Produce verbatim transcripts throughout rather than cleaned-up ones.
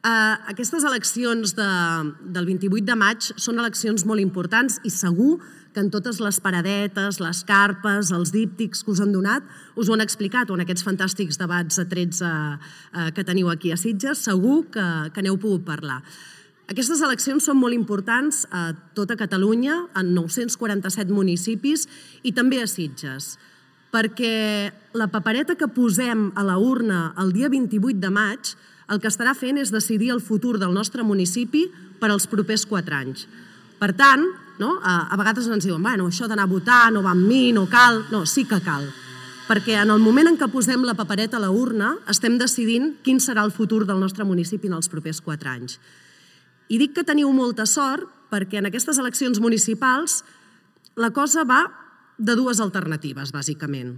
Aquestes eleccions del vint-i-vuit de maig són eleccions molt importants i segur que en totes les paradetes, les carpes, els díptics que us han donat, us ho han explicat, o en aquests fantàstics debats a tretze que teniu aquí a Sitges, segur que n'heu pogut parlar. Aquestes eleccions són molt importants a tota Catalunya, en nou-cents quaranta-set municipis i també a Sitges, perquè la papereta que posem a la urna el dia vint-i-vuit de maig el que estarà fent és decidir el futur del nostre municipi per als propers quatre anys. Per tant, a vegades ens diuen bueno, això d'anar a votar no va amb mi, no cal... No, sí que cal, perquè en el moment en què posem la papereta a la urna estem decidint quin serà el futur del nostre municipi en els propers quatre anys. I dic que teniu molta sort perquè en aquestes eleccions municipals la cosa va de dues alternatives, bàsicament.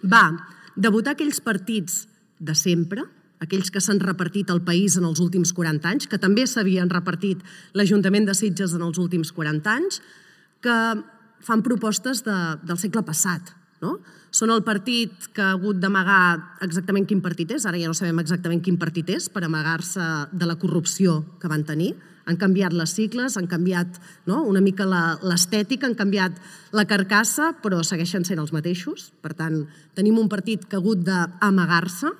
Va de votar aquells partits de sempre, aquells que s'han repartit el país en els últims quaranta anys, que també s'havien repartit l'Ajuntament de Sitges en els últims quaranta anys, que fan propostes del segle passat. Són el partit que ha hagut d'amagar exactament quin partit és, ara ja no sabem exactament quin partit és, per amagar-se de la corrupció que van tenir. Han canviat les sigles, han canviat una mica l'estètica, han canviat la carcassa, però segueixen sent els mateixos. Per tant, tenim un partit que ha hagut d'amagar-se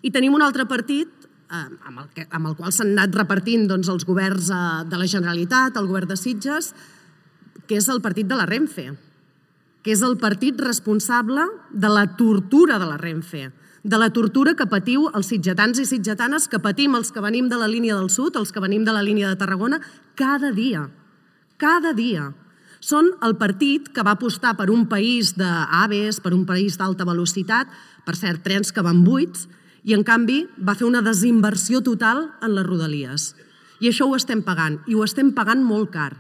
i tenim un altre partit amb el qual s'han anat repartint els governs de la Generalitat, el govern de Sitges, que és el partit de la Renfe, que és el partit responsable de la tortura de la Renfe, de la tortura que patiu els sitgetans i sitgetanes, que patim els que venim de la línia del sud, els que venim de la línia de Tarragona, cada dia, cada dia. Són el partit que va apostar per un país d'AVEs, per un país d'alta velocitat, per cert, trens que van buits, i en canvi va fer una desinversió total en les rodalies. I això ho estem pagant, i ho estem pagant molt car.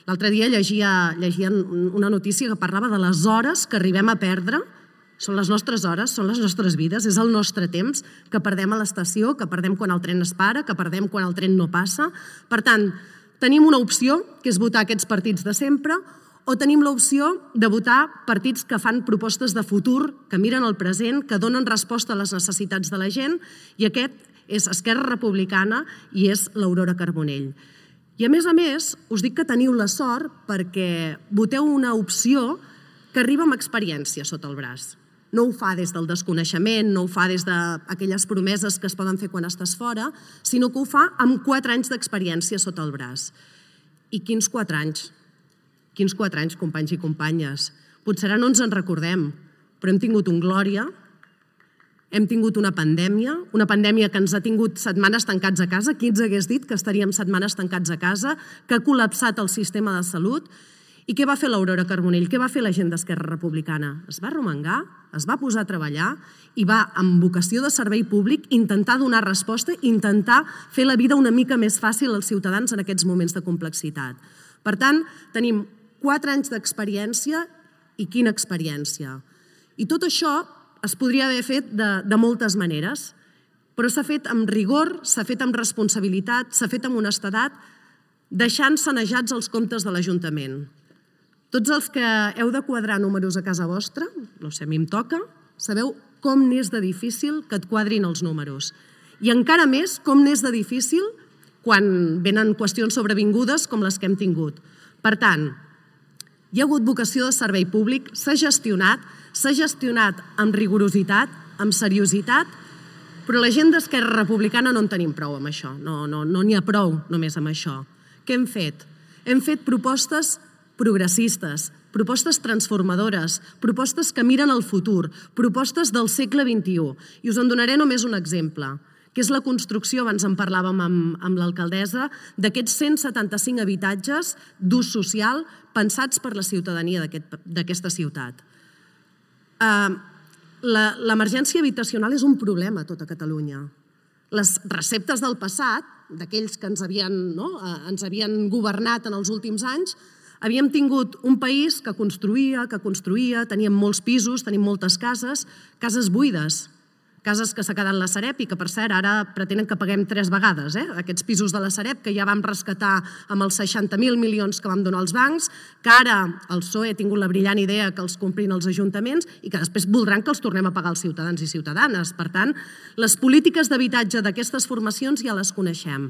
L'altre dia llegia una notícia que parlava de les hores que arribem a perdre. Són les nostres hores, són les nostres vides, és el nostre temps que perdem a l'estació, que perdem quan el tren es para, que perdem quan el tren no passa. Per tant, tenim una opció, que és votar aquests partits de sempre, o tenim l'opció de votar partits que fan propostes de futur, que miren el present, que donen resposta a les necessitats de la gent, i aquest és Esquerra Republicana i és l'Aurora Carbonell. I a més a més, us dic que teniu la sort perquè voteu una opció que arriba amb experiència sota el braç. No ho fa des del desconeixement, no ho fa des d'aquelles promeses que es poden fer quan estàs fora, sinó que ho fa amb quatre anys d'experiència sota el braç. I quins quatre anys? Quins quatre anys, companys i companyes. Potser ara no ens en recordem, però hem tingut un Glòria, hem tingut una pandèmia, una pandèmia que ens ha tingut setmanes tancats a casa. Qui ens hagués dit que estaríem setmanes tancats a casa, que ha col·lapsat el sistema de salut? I què va fer l'Aurora Carbonell? Què va fer la gent d'Esquerra Republicana? Es va arromangar, es va posar a treballar i va, amb vocació de servei públic, intentar donar resposta, intentar fer la vida una mica més fàcil als ciutadans en aquests moments de complexitat. Per tant, tenim quatre anys d'experiència i quina experiència. I tot això es podria haver fet de moltes maneres, però s'ha fet amb rigor, s'ha fet amb responsabilitat, s'ha fet amb honestedat, deixant sanejats els comptes de l'Ajuntament. Tots els que heu de quadrar números a casa vostra, no sé, a mi em toca, sabeu com n'és de difícil que et quadrin els números. I encara més com n'és de difícil quan venen qüestions sobrevingudes com les que hem tingut. Per tant, hi ha hagut vocació de servei públic, s'ha gestionat, s'ha gestionat amb rigorositat, amb seriositat, però la gent d'Esquerra Republicana no en tenim prou amb això, no n'hi ha prou només amb això. Què hem fet? Hem fet propostes progressistes, propostes transformadores, propostes que miren el futur, propostes del segle vint-i-u. I us en donaré només un exemple, que és la construcció, abans en parlàvem amb l'alcaldessa, d'aquests cent setanta-cinc habitatges d'ús social pensats per la ciutadania d'aquesta ciutat. L'emergència habitacional és un problema a tota Catalunya. Les receptes del passat, d'aquells que ens havien governat en els últims anys, havíem tingut un país que construïa, que construïa, teníem molts pisos, tenim moltes cases, cases buides, Cases que s'ha quedat la Sareb i que, per cert, ara pretenen que paguem tres vegades, eh? Aquests pisos de la Sareb que ja vam rescatar amb els seixanta mil milions que vam donar als bancs, que ara el P S O E ha tingut la brillant idea que els comprin els ajuntaments i que després voldran que els tornem a pagar els ciutadans i ciutadanes. Per tant, les polítiques d'habitatge d'aquestes formacions ja les coneixem.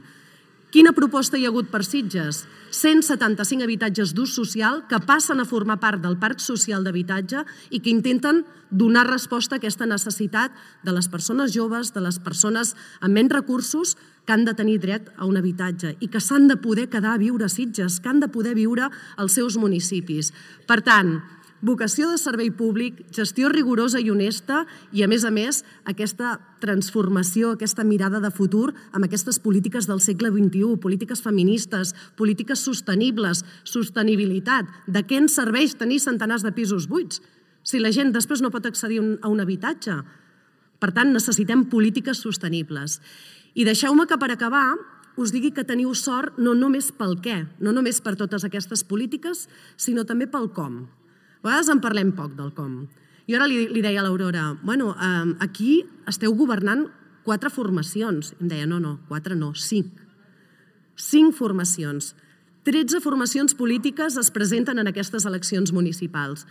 Quina proposta hi ha hagut per Sitges? cent setanta-cinc habitatges d'ús social que passen a formar part del parc social d'habitatge i que intenten donar resposta a aquesta necessitat de les persones joves, de les persones amb menys recursos que han de tenir dret a un habitatge i que s'han de poder quedar a viure a Sitges, que han de poder viure als seus municipis. Per tant, vocació de servei públic, gestió rigorosa i honesta i, a més a més, aquesta transformació, aquesta mirada de futur amb aquestes polítiques del segle vint-i-u, polítiques feministes, polítiques sostenibles, sostenibilitat. De què ens serveix tenir centenars de pisos buits si la gent després no pot accedir a un habitatge? Per tant, necessitem polítiques sostenibles. I deixeu-me que, per acabar, us digui que teniu sort no només pel què, no només per totes aquestes polítiques, sinó també pel com. A vegades en parlem poc del com. Jo ara li, li deia a l'Aurora, bueno, eh, aquí esteu governant quatre formacions. I em deia, no, no, quatre no, cinc. Cinc formacions. tretze formacions polítiques es presenten en aquestes eleccions municipals.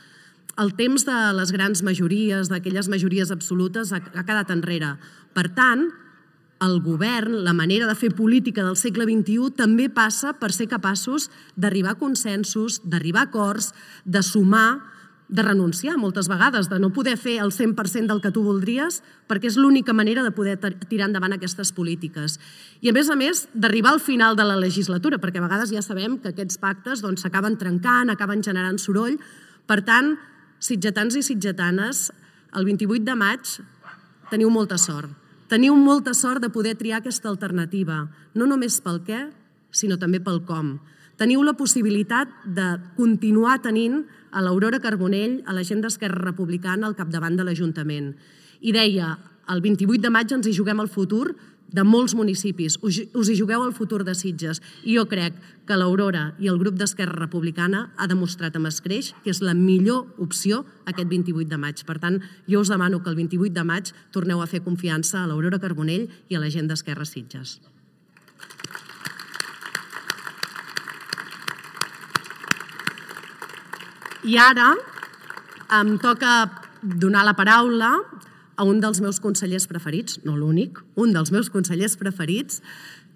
El temps de les grans majories, d'aquelles majories absolutes, ha, ha quedat enrere. Per tant, el govern, la manera de fer política del segle vint-i-u també passa per ser capaços d'arribar a consensos, d'arribar a acords, de sumar, de renunciar moltes vegades, de no poder fer el cent per cent del que tu voldries, perquè és l'única manera de poder tirar endavant aquestes polítiques. I, a més a més, d'arribar al final de la legislatura, perquè a vegades ja sabem que aquests pactes s'acaben trencant, acaben generant soroll. Per tant, sitgetans i sitgetanes, el vint-i-vuit de maig teniu molta sort. Teniu molta sort de poder triar aquesta alternativa, no només pel què, sinó també pel com. Teniu la possibilitat de continuar tenint a l'Aurora Carbonell, a la gent d'Esquerra Republicana, al capdavant de l'Ajuntament. I deia, el vint-i-vuit de maig ens hi juguem el futur de molts municipis, us hi jugueu el futur de Sitges. I jo crec que l'Aurora i el grup d'Esquerra Republicana ha demostrat amb escreix que és la millor opció aquest vint-i-vuit de maig. Per tant, jo us demano que el vint-i-vuit de maig torneu a fer confiança a l'Aurora Carbonell i a la gent d'Esquerra Sitges. I ara em toca donar la paraula a un dels meus consellers preferits, no l'únic, un dels meus consellers preferits,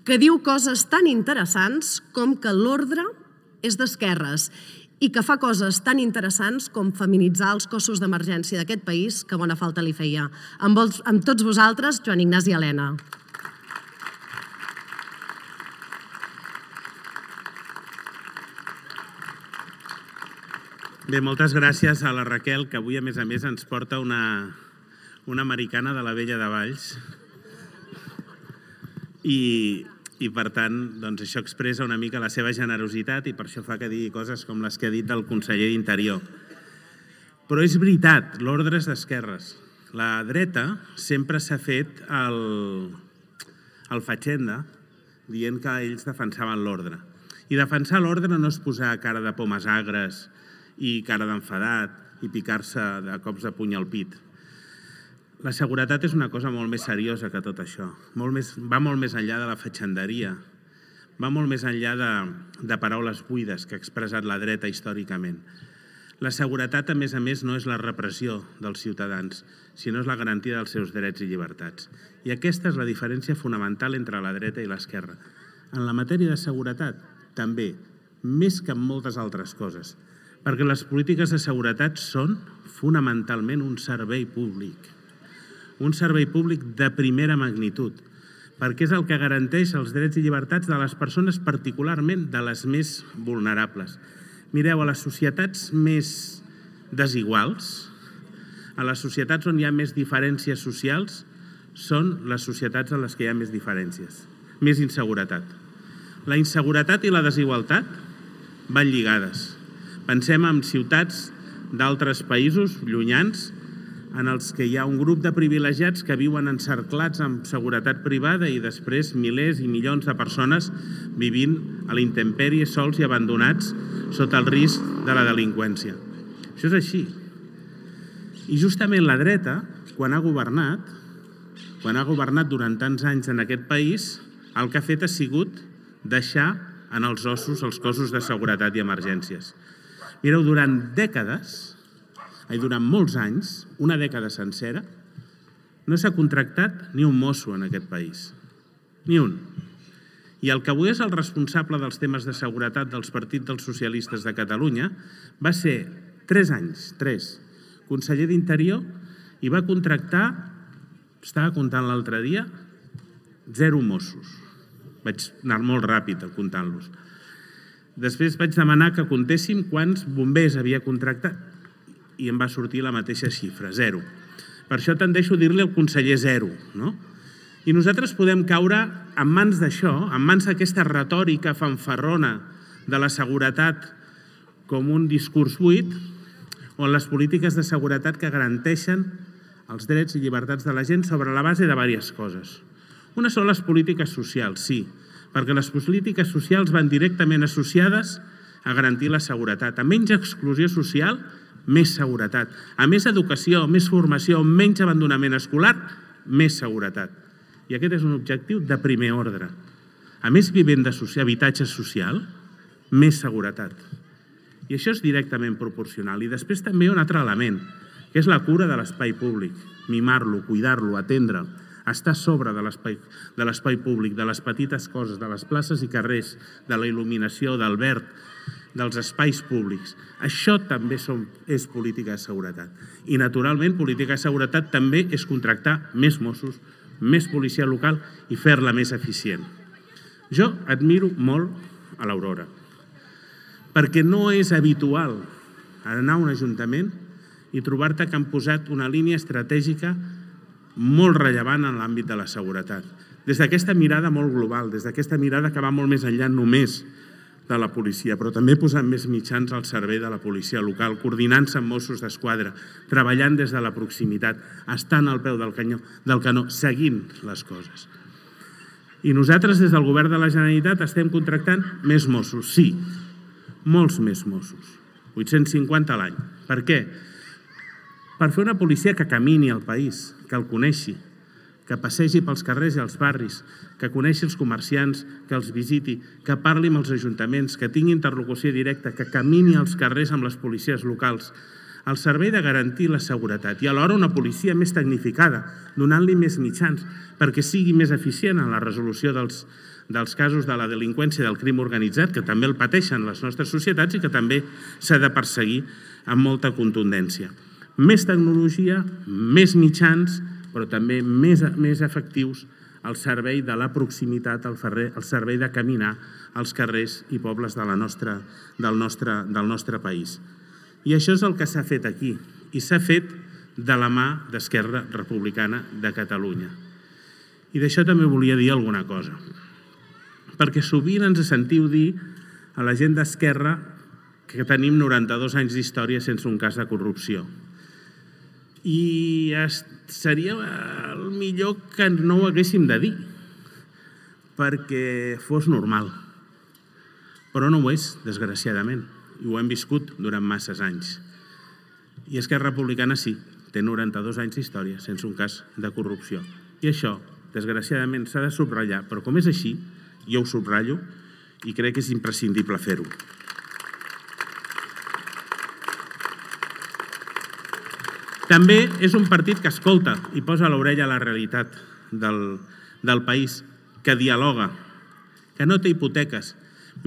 que diu coses tan interessants com que l'ordre és d'esquerres i que fa coses tan interessants com feminitzar els cossos d'emergència d'aquest país que bona falta li feia. Amb, els, amb tots vosaltres, Joan Ignasi Elena. Bé, moltes gràcies a la Raquel, que avui, a més a més, ens porta una, una americana de la Vella de Valls. I, i per tant, doncs, això expressa una mica la seva generositat i per això fa que digui coses com les que ha dit del conseller d'Interior. Però és veritat, l'ordre és d'esquerres. La dreta sempre s'ha fet el, el fatxenda dient que ells defensaven l'ordre. I defensar l'ordre no és posar cara de pomes agres i cara d'enfadat i picar-se de cops de puny al pit. La seguretat és una cosa molt més seriosa que tot això. Molt més, va molt més enllà de la fatxenderia, va molt més enllà de, de paraules buides que ha expressat la dreta històricament. La seguretat, a més a més, no és la repressió dels ciutadans, sinó és la garantia dels seus drets i llibertats. I aquesta és la diferència fonamental entre la dreta i l'esquerra. En la matèria de seguretat, també, més que en moltes altres coses, perquè les polítiques de seguretat són fonamentalment un servei públic. Un servei públic de primera magnitud, perquè és el que garanteix els drets i llibertats de les persones, particularment de les més vulnerables. Mireu, a les societats més desiguals, a les societats on hi ha més diferències socials, són les societats en les que hi ha més diferències, més inseguretat. La inseguretat i la desigualtat van lligades. Pensem en ciutats d'altres països llunyans en els que hi ha un grup de privilegiats que viuen encerclats amb seguretat privada i després milers i milions de persones vivint a la intempèrie, sols i abandonats sota el risc de la delinqüència. Això és així. I justament la dreta, quan ha governat, quan ha governat durant tants anys en aquest país, el que ha fet ha sigut deixar en els ossos els cossos de seguretat i emergències. Mireu, durant dècades, ai, durant molts anys, una dècada sencera, no s'ha contractat ni un mosso en aquest país. Ni un. I el que avui és el responsable dels temes de seguretat dels partits dels socialistes de Catalunya va ser tres anys, tres, conseller d'Interior, i va contractar, estava comptant l'altre dia, zero Mossos. Vaig anar molt ràpid comptant-los. Després vaig demanar que comptéssim quants bombers havia contractat i em va sortir la mateixa xifra, zero. Per això tendeixo a dir-li al conseller zero, no? I nosaltres podem caure en mans d'això, en mans d'aquesta retòrica fanfarrona de la seguretat com un discurs buit, on les polítiques de seguretat que garanteixen els drets i llibertats de la gent sobre la base de diverses coses. Una són les polítiques socials, sí, perquè les polítiques socials van directament associades a garantir la seguretat. A menys exclusió social, més seguretat. A més educació, més formació, menys abandonament escolar, més seguretat. I aquest és un objectiu de primer ordre. A més vivenda social, habitatge social, més seguretat. I això és directament proporcional. I després també un altre element, que és la cura de l'espai públic. Mimar-lo, cuidar-lo, atendre'l, estar a sobre de l'espai públic, de les petites coses, de les places i carrers, de la il·luminació, del verd, dels espais públics. Això també és política de seguretat. I, naturalment, política de seguretat també és contractar més Mossos, més policia local i fer-la més eficient. Jo admiro molt a l'Aurora, perquè no és habitual anar a un ajuntament i trobar-te que han posat una línia estratègica molt rellevant en l'àmbit de la seguretat. Des d'aquesta mirada molt global, des d'aquesta mirada que va molt més enllà només de la policia, però també posant més mitjans al servei de la policia local, coordinant-se amb Mossos d'Esquadra, treballant des de la proximitat, estant al peu del canó, del canó, seguint les coses. I nosaltres, des del govern de la Generalitat, estem contractant més Mossos, sí, molts més Mossos, vuit-cents cinquanta a l'any. Per què? Per fer una policia que camini al país, que el coneixi, que passegi pels carrers i els barris, que coneixi els comerciants, que els visiti, que parli amb els ajuntaments, que tingui interlocució directa, que camini als carrers amb les policies locals, al servei de garantir la seguretat i alhora una policia més tecnificada, donant-li més mitjans perquè sigui més eficient en la resolució dels, dels casos de la delinqüència i del crim organitzat, que també el pateixen les nostres societats i que també s'ha de perseguir amb molta contundència. Més tecnologia, més mitjans, però també més, més efectius al servei de la proximitat, al, ferrer, al servei de caminar als carrers i pobles de la nostra, del, nostre, del nostre país. I això és el que s'ha fet aquí, i s'ha fet de la mà d'Esquerra Republicana de Catalunya. I d'això també volia dir alguna cosa, perquè sovint ens sentiu dir a la gent d'Esquerra que tenim noranta-dos anys d'història sense un cas de corrupció. I seria el millor que no ho haguéssim de dir, perquè fos normal. Però no ho és, desgraciadament, i ho hem viscut durant masses anys. I Esquerra Republicana sí, té noranta-dos anys d'història sense un cas de corrupció. I això, desgraciadament, s'ha de subratllar, però com és així, jo ho subratllo i crec que és imprescindible fer-ho. També és un partit que escolta i posa l'orella a la realitat del, del país, que dialoga, que no té hipoteques.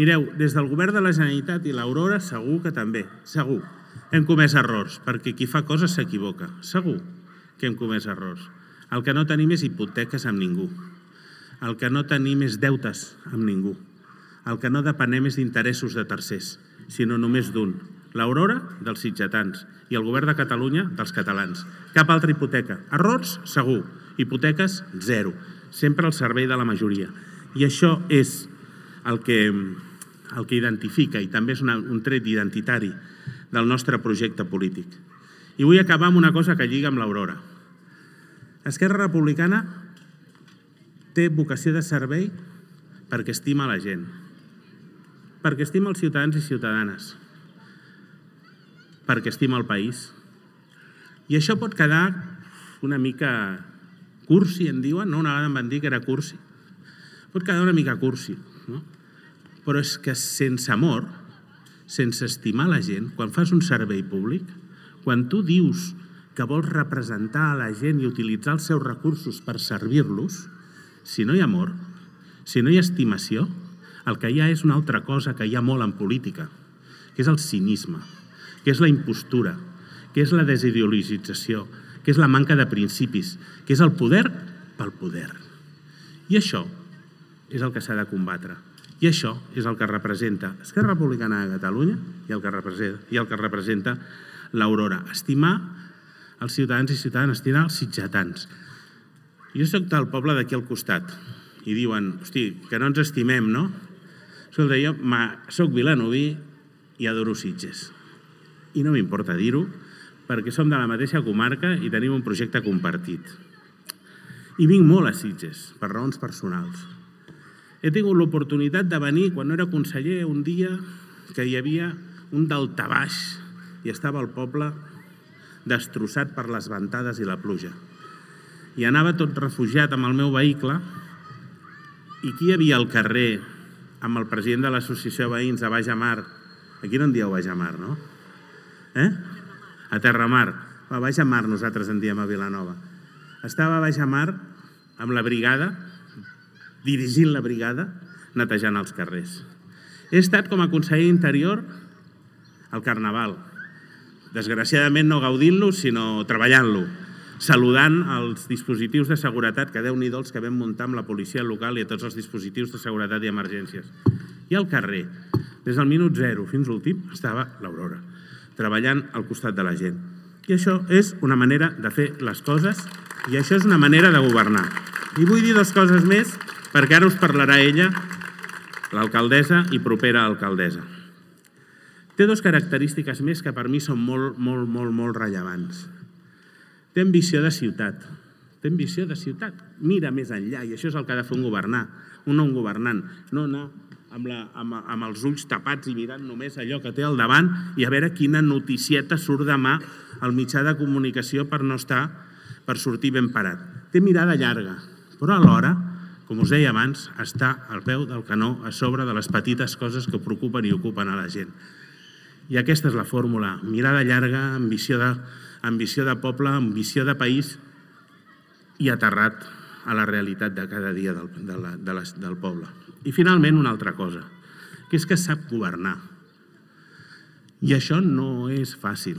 Mireu, des del govern de la Generalitat i l'Aurora segur que també, segur, hem comès errors, perquè qui fa coses s'equivoca, segur que hem comès errors. El que no tenim és hipoteques amb ningú, el que no tenim és deutes amb ningú, el que no depenem és d'interessos de tercers, sinó només d'un, l'Aurora dels sitgetans i el govern de Catalunya dels catalans. Cap altra hipoteca. Errors, segur. Hipoteques, zero. Sempre al servei de la majoria. I això és el que, el que identifica i també és una, un tret identitari del nostre projecte polític. I vull acabar amb una cosa que lliga amb l'Aurora. Esquerra Republicana té vocació de servei perquè estima la gent, perquè estima els ciutadans i ciutadanes, perquè estima el país. I això pot quedar una mica Cursi, en diuen, no? Una vegada em van dir que era cursi. Pot quedar una mica cursi, no? Però és que sense amor, sense estimar la gent, quan fas un servei públic, quan tu dius que vols representar a la gent i utilitzar els seus recursos per servir-los, si no hi ha amor, si no hi ha estimació, el que hi ha és una altra cosa que hi ha molt en política, que és el cinisme, que és la impostura, que és la desideologització, que és la manca de principis, que és el poder pel poder. I això és el que s'ha de combatre. I això és el que representa Esquerra Republicana de Catalunya i el que representa, i el que representa l'Aurora. Estimar els ciutadans i ciutadanes, estimar els sitgetans. Jo soc del poble d'aquí al costat i diuen, hosti, que no ens estimem, no? Escolta, jo soc vilanoví i adoro Sitges. I no m'importa dir-ho, perquè som de la mateixa comarca i tenim un projecte compartit. I vinc molt a Sitges, per raons personals. He tingut l'oportunitat de venir, quan no era conseller, un dia que hi havia un daltabaix i estava el poble destrossat per les ventades i la pluja. I anava tot refugiat amb el meu vehicle i qui hi havia al carrer amb el president de l'associació de veïns a Baix Amar? Aquí no en dieu Baix Amar, no? Eh? A Terramar. A Baix Amar nosaltres en diem a Vilanova. Estava a Baix Amar amb la brigada, dirigint la brigada, netejant els carrers. He estat com a conseller d'interior al Carnaval. Desgraciadament no gaudint-lo, sinó treballant-lo, saludant els dispositius de seguretat, que Déu-n'hi-do els que vam muntar amb la policia local i a tots els dispositius de seguretat i emergències. I al carrer, des del minut zero fins l'últim, estava l'Aurora, treballant al costat de la gent. I això és una manera de fer les coses i això és una manera de governar. I vull dir dues coses més, perquè ara us parlarà ella, l'alcaldessa i propera alcaldessa. Té dues característiques més que per mi són molt, molt, molt, molt rellevants. Té ambició de ciutat. Té ambició de ciutat. Mira més enllà, i això és el que ha de fer un governar, un nou governant. No anar amb, la, amb, amb els ulls tapats i mirant només allò que té al davant i a veure quina noticieta surt demà al mitjà de comunicació per no estar, per sortir ben parat. Té mirada llarga, però alhora, com us deia abans, està al peu del canó a sobre de les petites coses que preocupen i ocupen a la gent. I aquesta és la fórmula, mirada llarga, ambició de, ambició de poble, ambició de país i aterrat a la realitat de cada dia del, de la, de les, del poble. I finalment una altra cosa, que és que sap governar. I això no és fàcil.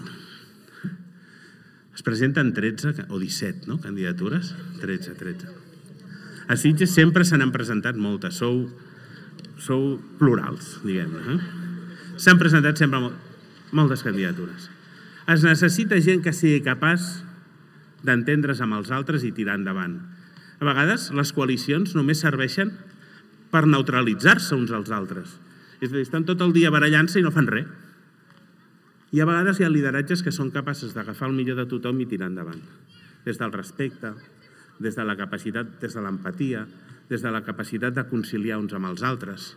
Es presenten tretze o disset, no?, candidatures? tretze, tretze. A Sitges sempre se n'han presentat moltes, sou, sou plurals, diguem-ne. Eh? S'han presentat sempre moltes candidatures. Es necessita gent que sigui capaç d'entendre's amb els altres i tirar endavant. A vegades les coalicions només serveixen per neutralitzar-se uns als altres. És a dir, estan tot el dia barallant-se i no fan res. I a vegades hi ha lideratges que són capaços d'agafar el millor de tothom i tirar endavant. Des del respecte, des de la capacitat, des de l'empatia, des de la capacitat de conciliar uns amb els altres,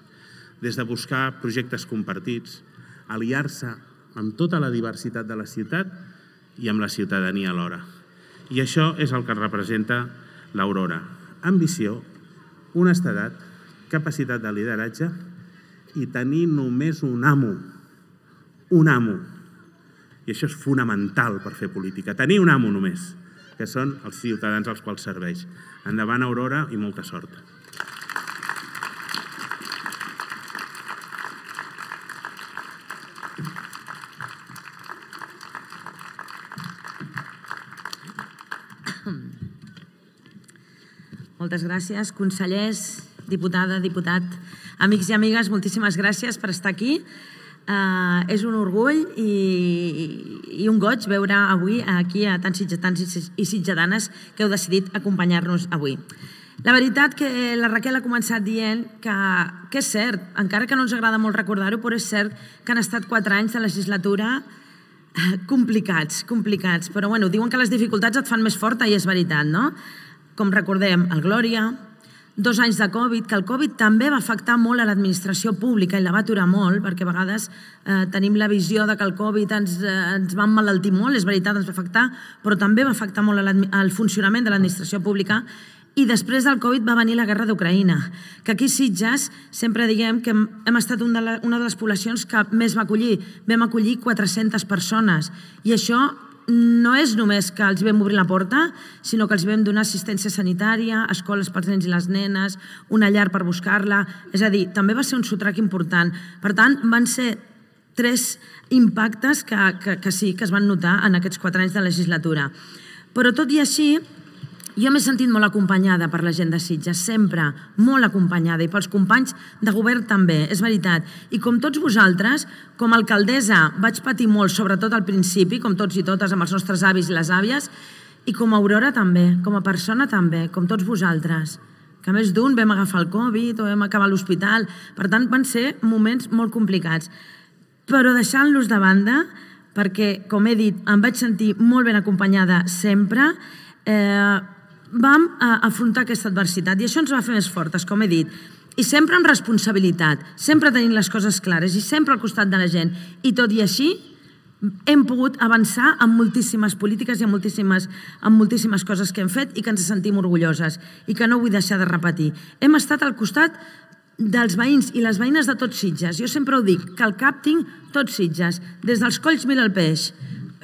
des de buscar projectes compartits, aliar-se amb tota la diversitat de la ciutat i amb la ciutadania alhora. I això és el que representa l'Aurora. Ambició, honestedat, capacitat de lideratge i tenir només un amo. Un amo. I això és fonamental per fer política. Tenir un amo només, que són els ciutadans als quals serveix. Endavant, Aurora, i molta sort. Moltes gràcies, consellers, diputada, diputat, amics i amigues, moltíssimes gràcies per estar aquí. Uh, és un orgull i, i un goig veure avui aquí a tants sitgetans i sitgetanes que heu decidit acompanyar-nos avui. La veritat que la Raquel ha començat dient que, que és cert, encara que no ens agrada molt recordar-ho, però és cert que han estat quatre anys de legislatura complicats, complicats. Però bueno, diuen que les dificultats et fan més forta i és veritat, no? Com recordem, el Glòria, dos anys de Covid, que el Covid també va afectar molt a l'administració pública i la va aturar molt, perquè a vegades eh, tenim la visió de que el Covid ens, eh, ens va emmalaltir molt, és veritat, ens va afectar, però també va afectar molt al funcionament de l'administració pública. I després del Covid va venir la guerra d'Ucraïna, que aquí a Sitges sempre diguem que hem estat una de les poblacions que més va acollir. Vam acollir quatre-centes persones i això no és només que els vam obrir la porta, sinó que els vam donar assistència sanitària, escoles pels nens i les nenes, una llar per buscar-la. És a dir, també va ser un sotrac important. Per tant, van ser tres impactes que, que, que sí que es van notar en aquests quatre anys de legislatura. Però tot i així, jo m'he sentit molt acompanyada per la gent de Sitges, sempre molt acompanyada, i pels companys de govern també, és veritat. I com tots vosaltres, com a alcaldessa vaig patir molt, sobretot al principi, com tots i totes, amb els nostres avis i les àvies, i com a Aurora també, com a persona també, com tots vosaltres. Que a més d'un vam agafar el Covid o vam acabar a l'hospital, per tant van ser moments molt complicats. Però deixant-los de banda, perquè, com he dit, em vaig sentir molt ben acompanyada sempre, eh, vam afrontar aquesta adversitat i això ens va fer més fortes, com he dit, i sempre amb responsabilitat, sempre tenint les coses clares i sempre al costat de la gent. I tot i així hem pogut avançar en moltíssimes polítiques i en moltíssimes, en moltíssimes coses que hem fet i que ens sentim orgulloses i que no vull deixar de repetir. Hem estat al costat dels veïns i les veïnes de tots Sitges. Jo sempre ho dic, que al cap tinc tots Sitges, des dels Colls Mira el Peix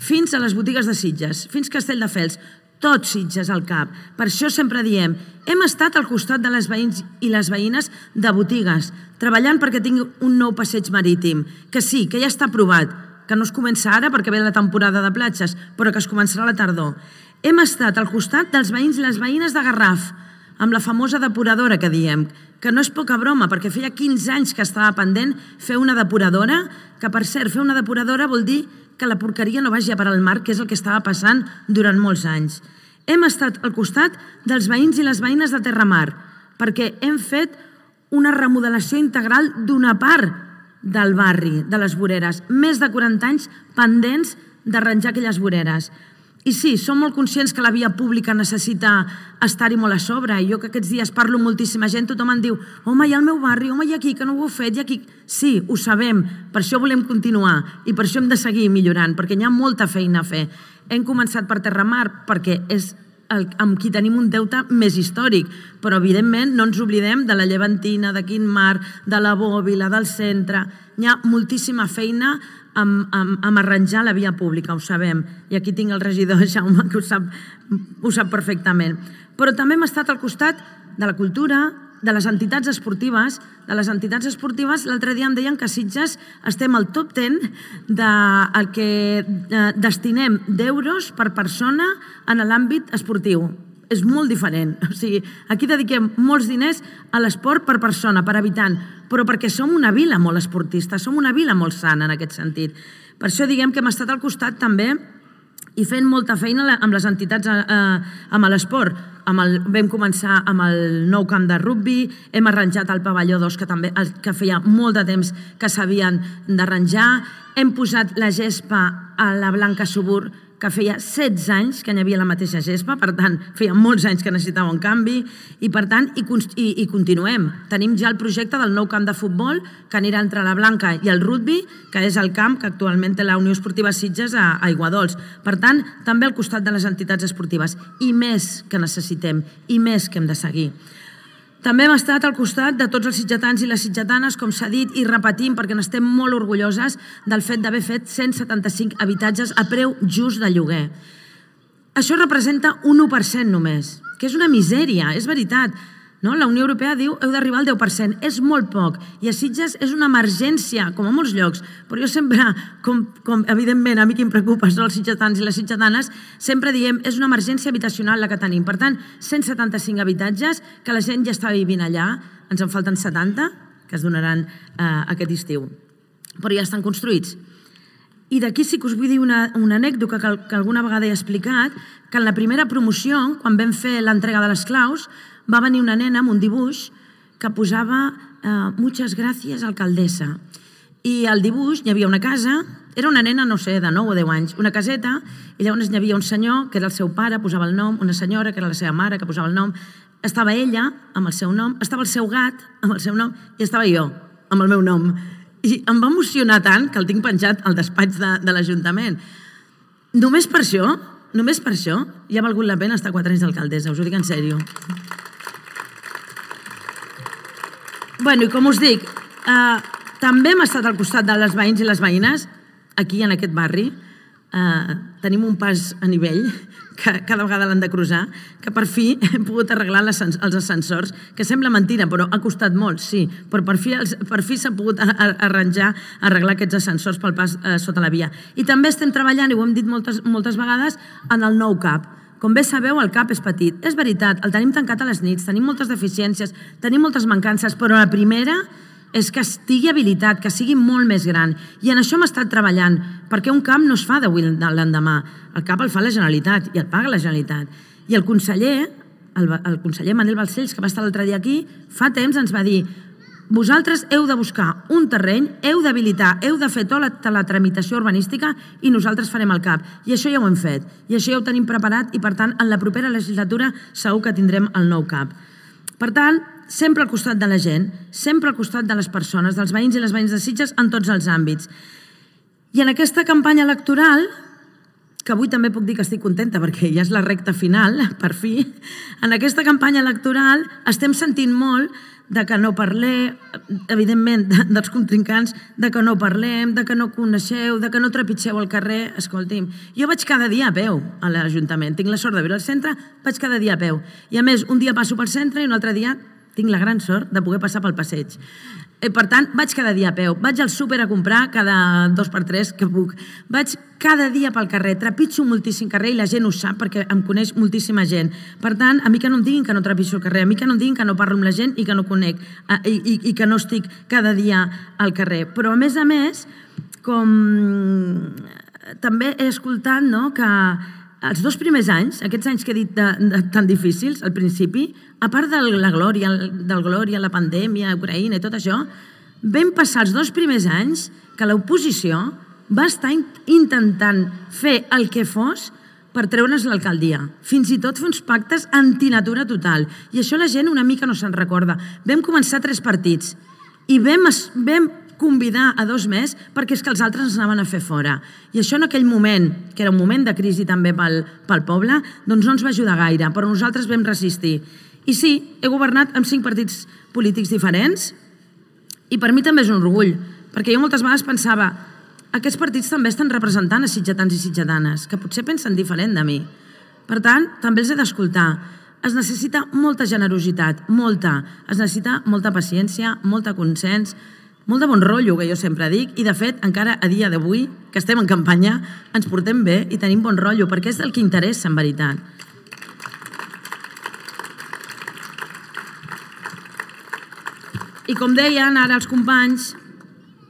fins a les botigues de Sitges, fins a Castelldefels, tots Sitges al cap. Per això sempre diem, hem estat al costat de les veïns i les veïnes de botigues, treballant perquè tingui un nou passeig marítim, que sí, que ja està aprovat, que no es comença ara perquè ve la temporada de platges, però que es començarà a la tardor. Hem estat al costat dels veïns i les veïnes de Garraf, amb la famosa depuradora que diem, que no és poca broma, perquè feia quinze anys que estava pendent fer una depuradora, que per cert, fer una depuradora vol dir que la porqueria no vagi a parar al mar, que és el que estava passant durant molts anys. Hem estat al costat dels veïns i les veïnes de Terramar, perquè hem fet una remodelació integral d'una part del barri, de les voreres. Més de quaranta anys pendents d'arranjar aquelles voreres. I sí, som molt conscients que la via pública necessita estar-hi molt a sobre. I jo que aquests dies parlo amb moltíssima gent, tothom em diu home, hi ha el meu barri, home, hi ha aquí, que no ho heu fet, hi ha aquí... Sí, ho sabem, per això volem continuar i per això hem de seguir millorant, perquè hi ha molta feina a fer. Hem començat per Terramar perquè és el, amb qui tenim un deute més històric, però evidentment no ens oblidem de la Llevantina, de Quintmar, de la Bòbila, del centre. Hi ha moltíssima feina amb, amb, amb arranjar la via pública, ho sabem. I aquí tinc el regidor Jaume, que ho sap, ho sap perfectament. Però també hem estat al costat de la cultura, de les entitats esportives. De les entitats esportives, l'altre dia em deien que a Sitges estem al top deu del que destinem d'euros per persona en l'àmbit esportiu. És molt diferent. O sigui, aquí dediquem molts diners a l'esport per persona, per habitant, però perquè som una vila molt esportista, som una vila molt sana en aquest sentit. Per això diguem que hem estat al costat també i fent molta feina amb les entitats amb l'esport. Vam començar amb el nou camp de rugbi, hem arranjat el pavelló dos, que també que feia molt de temps que s'havien d'arranjar, hem posat la gespa a la Blanca Subur, que feia setze anys que n'hi havia la mateixa gespa, per tant, feia molts anys que necessitava un canvi, i per tant, i, i, i continuem. Tenim ja el projecte del nou camp de futbol, que anirà entre la Blanca i el rugbi, que és el camp que actualment té la Unió Esportiva Sitges a Aiguadols. Per tant, també al costat de les entitats esportives, i més que necessitem, i més que hem de seguir. També hem estat al costat de tots els sitgetans i les sitgetanes, com s'ha dit, i repetim, perquè n'estem molt orgulloses del fet d'haver fet cent setanta-cinc habitatges a preu just de lloguer. Això representa un u per cent només, que és una misèria, és veritat. La Unió Europea diu que heu d'arribar al deu per cent, és molt poc, i a Sitges és una emergència, com a molts llocs, però jo sempre, com evidentment a mi qui em preocupa són els sitgetans i les sitgetanes, sempre diem és una emergència habitacional la que tenim. Per tant, cent setanta-cinc habitatges, que la gent ja està vivint allà, ens en falten setanta, que es donaran aquest estiu, però ja estan construïts. I d'aquí sí que us vull dir una anècdota que alguna vegada he explicat, que en la primera promoció, quan vam fer l'entrega de les claus, va venir una nena amb un dibuix que posava «Muchas gracias, alcaldessa». I al dibuix hi havia una casa, era una nena, no sé, de nou o deu anys, una caseta, i llavors hi havia un senyor, que era el seu pare, posava el nom, una senyora, que era la seva mare, que posava el nom. estava ella, amb el seu nom, estava el seu gat, amb el seu nom, i estava jo, amb el meu nom. I em va emocionar tant que el tinc penjat al despatx de, de l'Ajuntament. Només per això, només per això, ja ha valgut la pena estar quatre anys d'alcaldessa, us ho dic en sèrio. Bueno, i com us dic, eh, també hem estat al costat de les veïns i les veïnes, aquí en aquest barri. Eh, tenim un pas a nivell, que cada vegada l'han de cruzar, que per fi hem pogut arreglar els ascensors, que sembla mentira, però ha costat molt, sí, però per fi, per fi s'ha pogut arranjar, arreglar aquests ascensors pel pas eh, sota la via. I també estem treballant, i ho hem dit moltes, moltes vegades, en el nou C A P. Com bé sabeu, el C A P és petit. És veritat, el tenim tancat a les nits, tenim moltes deficiències, tenim moltes mancances, però la primera és que estigui habilitat, que sigui molt més gran. I en això hem estat treballant, perquè un C A P no es fa d'avui a l'endemà. El C A P el fa la Generalitat i el paga la Generalitat. I el conseller, el, el conseller Manel Balcells, que va estar l'altre dia aquí, fa temps ens va dir: vosaltres heu de buscar un terreny, heu d'habilitar, heu de fer tota la, la tramitació urbanística i nosaltres farem el C A P. I això ja ho hem fet, i això ja ho tenim preparat i, per tant, en la propera legislatura segur que tindrem el nou C A P. Per tant, sempre al costat de la gent, sempre al costat de les persones, dels veïns i les veïnes de Sitges en tots els àmbits. I en aquesta campanya electoral, que avui també puc dir que estic contenta perquè ja és la recta final, per fi, en aquesta campanya electoral estem sentint molt de que no parlem, evidentment, dels contrincants, de que no parlem, de que no coneixeu, de que no trepitgeu al carrer. Escolti'm, jo vaig cada dia a peu a l'Ajuntament, tinc la sort de viure al centre, vaig cada dia a peu. I a més, un dia passo pel centre i un altre dia tinc la gran sort de poder passar pel passeig. Per tant, vaig cada dia a peu. Vaig al súper a comprar cada dos per tres que puc. Vaig cada dia pel carrer, trepitjo moltíssim carrer i la gent ho sap perquè em coneix moltíssima gent. Per tant, a mi que no em diguin que no trepitjo el carrer, a mi que no em diguin que no parlo amb la gent i que no conec i, i, i que no estic cada dia al carrer. Però, a més a més, com també he escoltat, no, que els dos primers anys, aquests anys que he dit de, de, tan difícils, al principi, a part de la glòria, del glòria, la pandèmia, Ucraïna i tot això, vam passar els dos primers anys que l'oposició va estar intentant fer el que fos per treure's l'alcaldia. Fins i tot fer uns pactes antinatura total. I això la gent una mica no se'n recorda. Vam començar tres partits i vam, vam convidar a dos més perquè és que els altres ens anaven a fer fora. I això en aquell moment, que era un moment de crisi també pel, pel poble, doncs no ens va ajudar gaire, però nosaltres vam resistir. I sí, he governat amb cinc partits polítics diferents i per mi també és un orgull, perquè jo moltes vegades pensava aquests partits també estan representant a sitgetans i sitgetanes, que potser pensen diferent de mi. Per tant, també els he d'escoltar. Es necessita molta generositat, molta. Es necessita molta paciència, molta consens, molt de bon rotllo, que jo sempre dic, i de fet, encara a dia d'avui, que estem en campanya, ens portem bé i tenim bon rotllo, perquè és el que interessa, en veritat. I com deien ara els companys,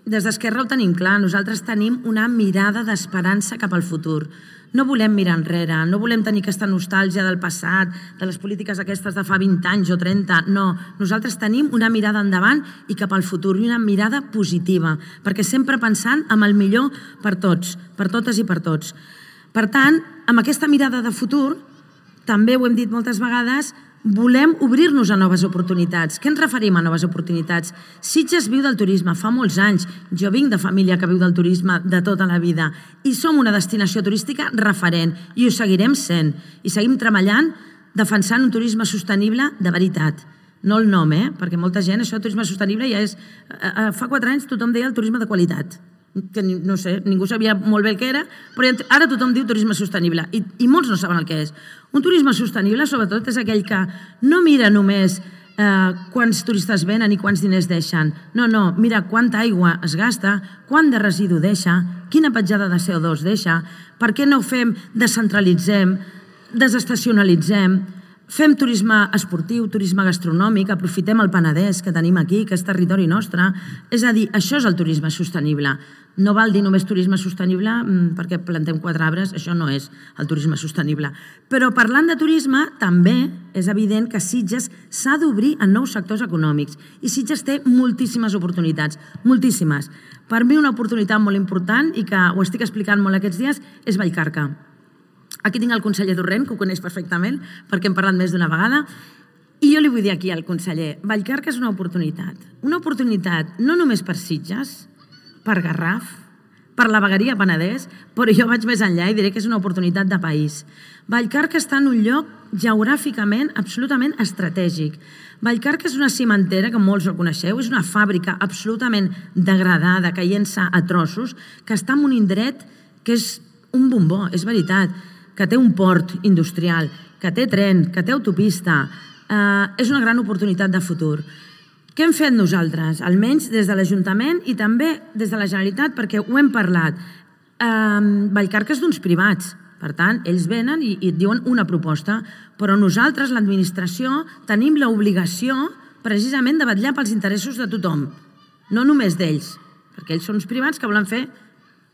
des d'Esquerra ho tenim clar, nosaltres tenim una mirada d'esperança cap al futur. No volem mirar enrere, no volem tenir aquesta nostàlgia del passat, de les polítiques aquestes de fa vint anys o trenta, no. Nosaltres tenim una mirada endavant i cap al futur, i una mirada positiva, perquè sempre pensant en el millor per tots, per totes i per tots. Per tant, amb aquesta mirada de futur, també ho hem dit moltes vegades, volem obrir-nos a noves oportunitats. Què ens referim a noves oportunitats? Sitges viu del turisme fa molts anys. Jo vinc de família que viu del turisme de tota la vida i som una destinació turística referent i ho seguirem sent. I seguim treballant defensant un turisme sostenible de veritat. No el nom, eh? Perquè molta gent, això de turisme sostenible ja és... Fa quatre anys tothom deia el turisme de qualitat. Que no sé, ningú sabia molt bé el que era, però ara tothom diu turisme sostenible i, i molts no saben el que és. Un turisme sostenible, sobretot, és aquell que no mira només eh, quants turistes venen i quants diners deixen. No, no, mira quanta aigua es gasta, quant de residu deixa, quina petjada de C O dos deixa, per què no ho fem, descentralitzem, desestacionalitzem, fem turisme esportiu, turisme gastronòmic, aprofitem el Penedès que tenim aquí, que és territori nostre. És a dir, això és el turisme sostenible. No val dir només turisme sostenible perquè plantem quatre arbres, això no és el turisme sostenible. Però parlant de turisme, també és evident que Sitges s'ha d'obrir en nous sectors econòmics i Sitges té moltíssimes oportunitats, moltíssimes. Per mi una oportunitat molt important i que ho estic explicant molt aquests dies és Vallcarca. Aquí tinc el conseller Torrent, que ho coneix perfectament perquè hem parlat més d'una vegada. I jo li vull dir aquí al conseller, Vallcarca és una oportunitat. Una oportunitat no només per Sitges, per Garraf, per la vegueria Penedès, però jo vaig més enllà i diré que és una oportunitat de país. Vallcarca està en un lloc geogràficament absolutament estratègic. Vallcarca és una cimentera, que molts ho coneixeu, és una fàbrica absolutament degradada, caient-se a trossos, que està en un indret que és un bombó, és veritat, que té un port industrial, que té tren, que té autopista. Eh, és una gran oportunitat de futur. Què hem fet nosaltres? Almenys des de l'Ajuntament i també des de la Generalitat, perquè ho hem parlat. Eh, Vallcarca és d'uns privats, per tant, ells venen i, i et diuen una proposta, però nosaltres, l'administració, tenim l'obligació precisament de vetllar pels interessos de tothom, no només d'ells, perquè ells són uns privats que volen fer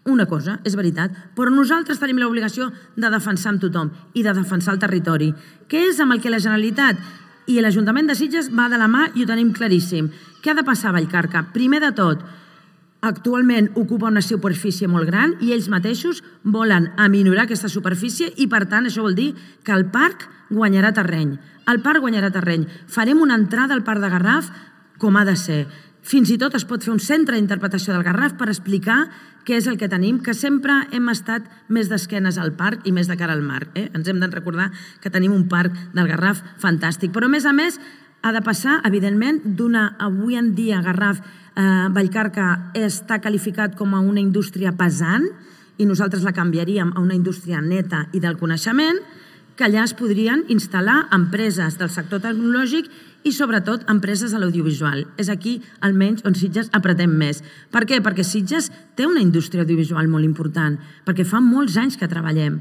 una cosa, és veritat, però nosaltres tenim l'obligació de defensar amb tothom i de defensar el territori, que és amb el que la Generalitat i l'Ajuntament de Sitges va de la mà i ho tenim claríssim. Què ha de passar a Vallcarca? Primer de tot, actualment ocupa una superfície molt gran i ells mateixos volen aminorar aquesta superfície i, per tant, això vol dir que el parc guanyarà terreny. El parc guanyarà terreny. Farem una entrada al parc de Garraf com ha de ser. Fins i tot es pot fer un centre d'interpretació del Garraf per explicar què és el que tenim, que sempre hem estat més d'esquenes al parc i més de cara al mar. Eh? Ens hem de recordar que tenim un parc del Garraf fantàstic. Però, a més a més, ha de passar, evidentment, d'una... Avui en dia, Garraf, eh, Vallcarca està qualificat com a una indústria pesant i nosaltres la canviaríem a una indústria neta i del coneixement, que allà es podrien instal·lar empreses del sector tecnològic i, sobretot, empreses de l'audiovisual. És aquí, almenys, on Sitges apretem més. Per què? Perquè Sitges té una indústria audiovisual molt important, perquè fa molts anys que treballem.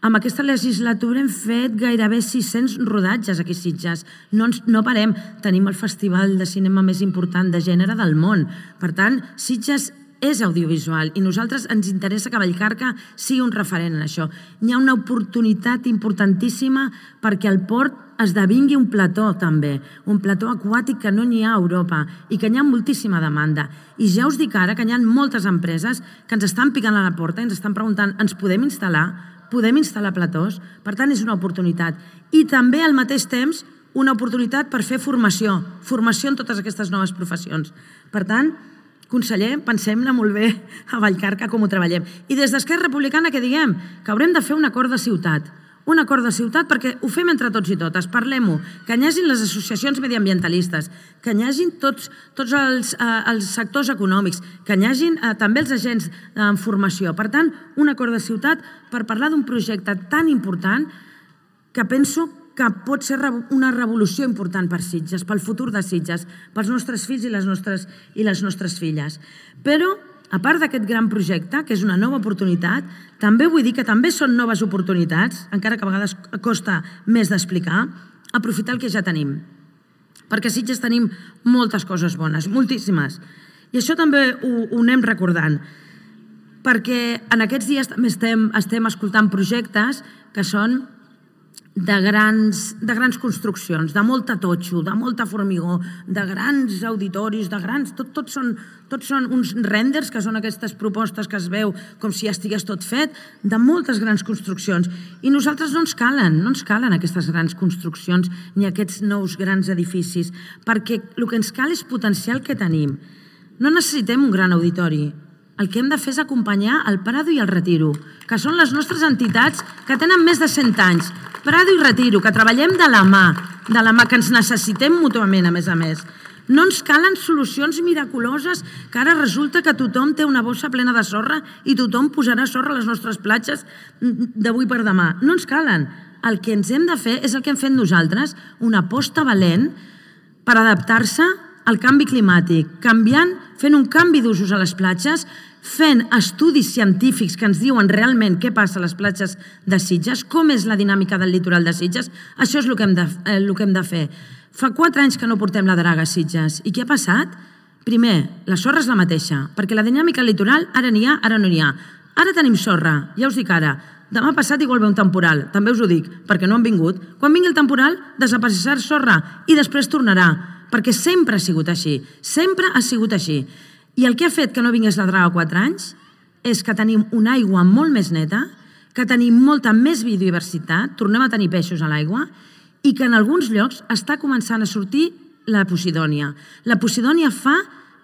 Amb aquesta legislatura hem fet gairebé sis-cents rodatges aquí a Sitges. No, ens, no parem. Tenim el festival de cinema més important de gènere del món. Per tant, Sitges és audiovisual i nosaltres ens interessa que Vallcarca sigui un referent en això. Hi ha una oportunitat importantíssima perquè el port esdevingui un plató també, un plató aquàtic que no n'hi ha a Europa i que n'hi ha moltíssima demanda. I ja us dic ara que hi ha moltes empreses que ens estan picant a la porta i ens estan preguntant, ens podem instal·lar? Podem instal·lar platós? Per tant, és una oportunitat. I també, al mateix temps, una oportunitat per fer formació, formació en totes aquestes noves professions. Per tant, conseller, pensem-ne molt bé a Vallcarca com ho treballem. I des d'Esquerra Republicana què diem? Que haurem de fer un acord de ciutat. Un acord de ciutat perquè ho fem entre tots i totes, parlem-ho, que hi hagin les associacions mediambientalistes, que hi hagin tots, tots els, eh, els sectors econòmics, que hi hagin eh, també els agents en formació. Per tant, un acord de ciutat per parlar d'un projecte tan important que penso que pot ser una revolució important per Sitges, pel futur de Sitges, pels nostres fills i les nostres, i les nostres filles. Però, a part d'aquest gran projecte, que és una nova oportunitat, també vull dir que també són noves oportunitats, encara que a vegades costa més d'explicar, aprofitar el que ja tenim. Perquè a Sitges tenim moltes coses bones, moltíssimes. I això també ho, ho anem recordant. Perquè en aquests dies també estem, estem escoltant projectes que són de grans, de grans construccions, de molta totxo, de molta formigó, de grans auditoris, de grans... Tot, tot, són, tot són uns renders, que són aquestes propostes que es veu com si ja estigués tot fet, de moltes grans construccions. I nosaltres no ens calen, no ens calen aquestes grans construccions ni aquests nous grans edificis, perquè el que ens cal és potenciar el que tenim. No necessitem un gran auditori. El que hem de fer és acompanyar el Prado i el Retiro, que són les nostres entitats que tenen més de cent anys. Prado i Retiro, que treballem de la mà, de la mà, que ens necessitem mútuament, a més a més. No ens calen solucions miraculoses, que ara resulta que tothom té una bossa plena de sorra i tothom posarà sorra a les nostres platges d'avui per demà. No ens calen. El que ens hem de fer és el que hem fet nosaltres, una aposta valent per adaptar-se al canvi climàtic, canviant, fent un canvi d'usos a les platges, fent estudis científics que ens diuen realment què passa a les platges de Sitges, com és la dinàmica del litoral de Sitges. Això és el que hem de, eh, el que hem de fer. Fa quatre anys que no portem la draga a Sitges. I què ha passat? Primer, la sorra és la mateixa, perquè la dinàmica litoral ara n'hi ha, ara no n'hi ha. Ara tenim sorra, ja us dic ara. Demà passat igual ve un temporal, també us ho dic, perquè no han vingut. Quan vingui el temporal, desapareixerà sorra i després tornarà, perquè sempre ha sigut així, sempre ha sigut així. I el que ha fet que no vingués la draga quatre anys és que tenim una aigua molt més neta, que tenim molta més biodiversitat, tornem a tenir peixos a l'aigua, i que en alguns llocs està començant a sortir la Posidònia. La Posidònia fa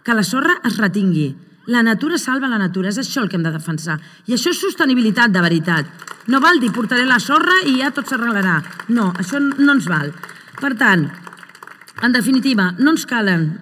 que la sorra es retingui. La natura salva la natura, és això el que hem de defensar. I això és sostenibilitat de veritat. No val dir portaré la sorra i ja tot s'arreglarà. No, això no ens val. Per tant, en definitiva, no ens calen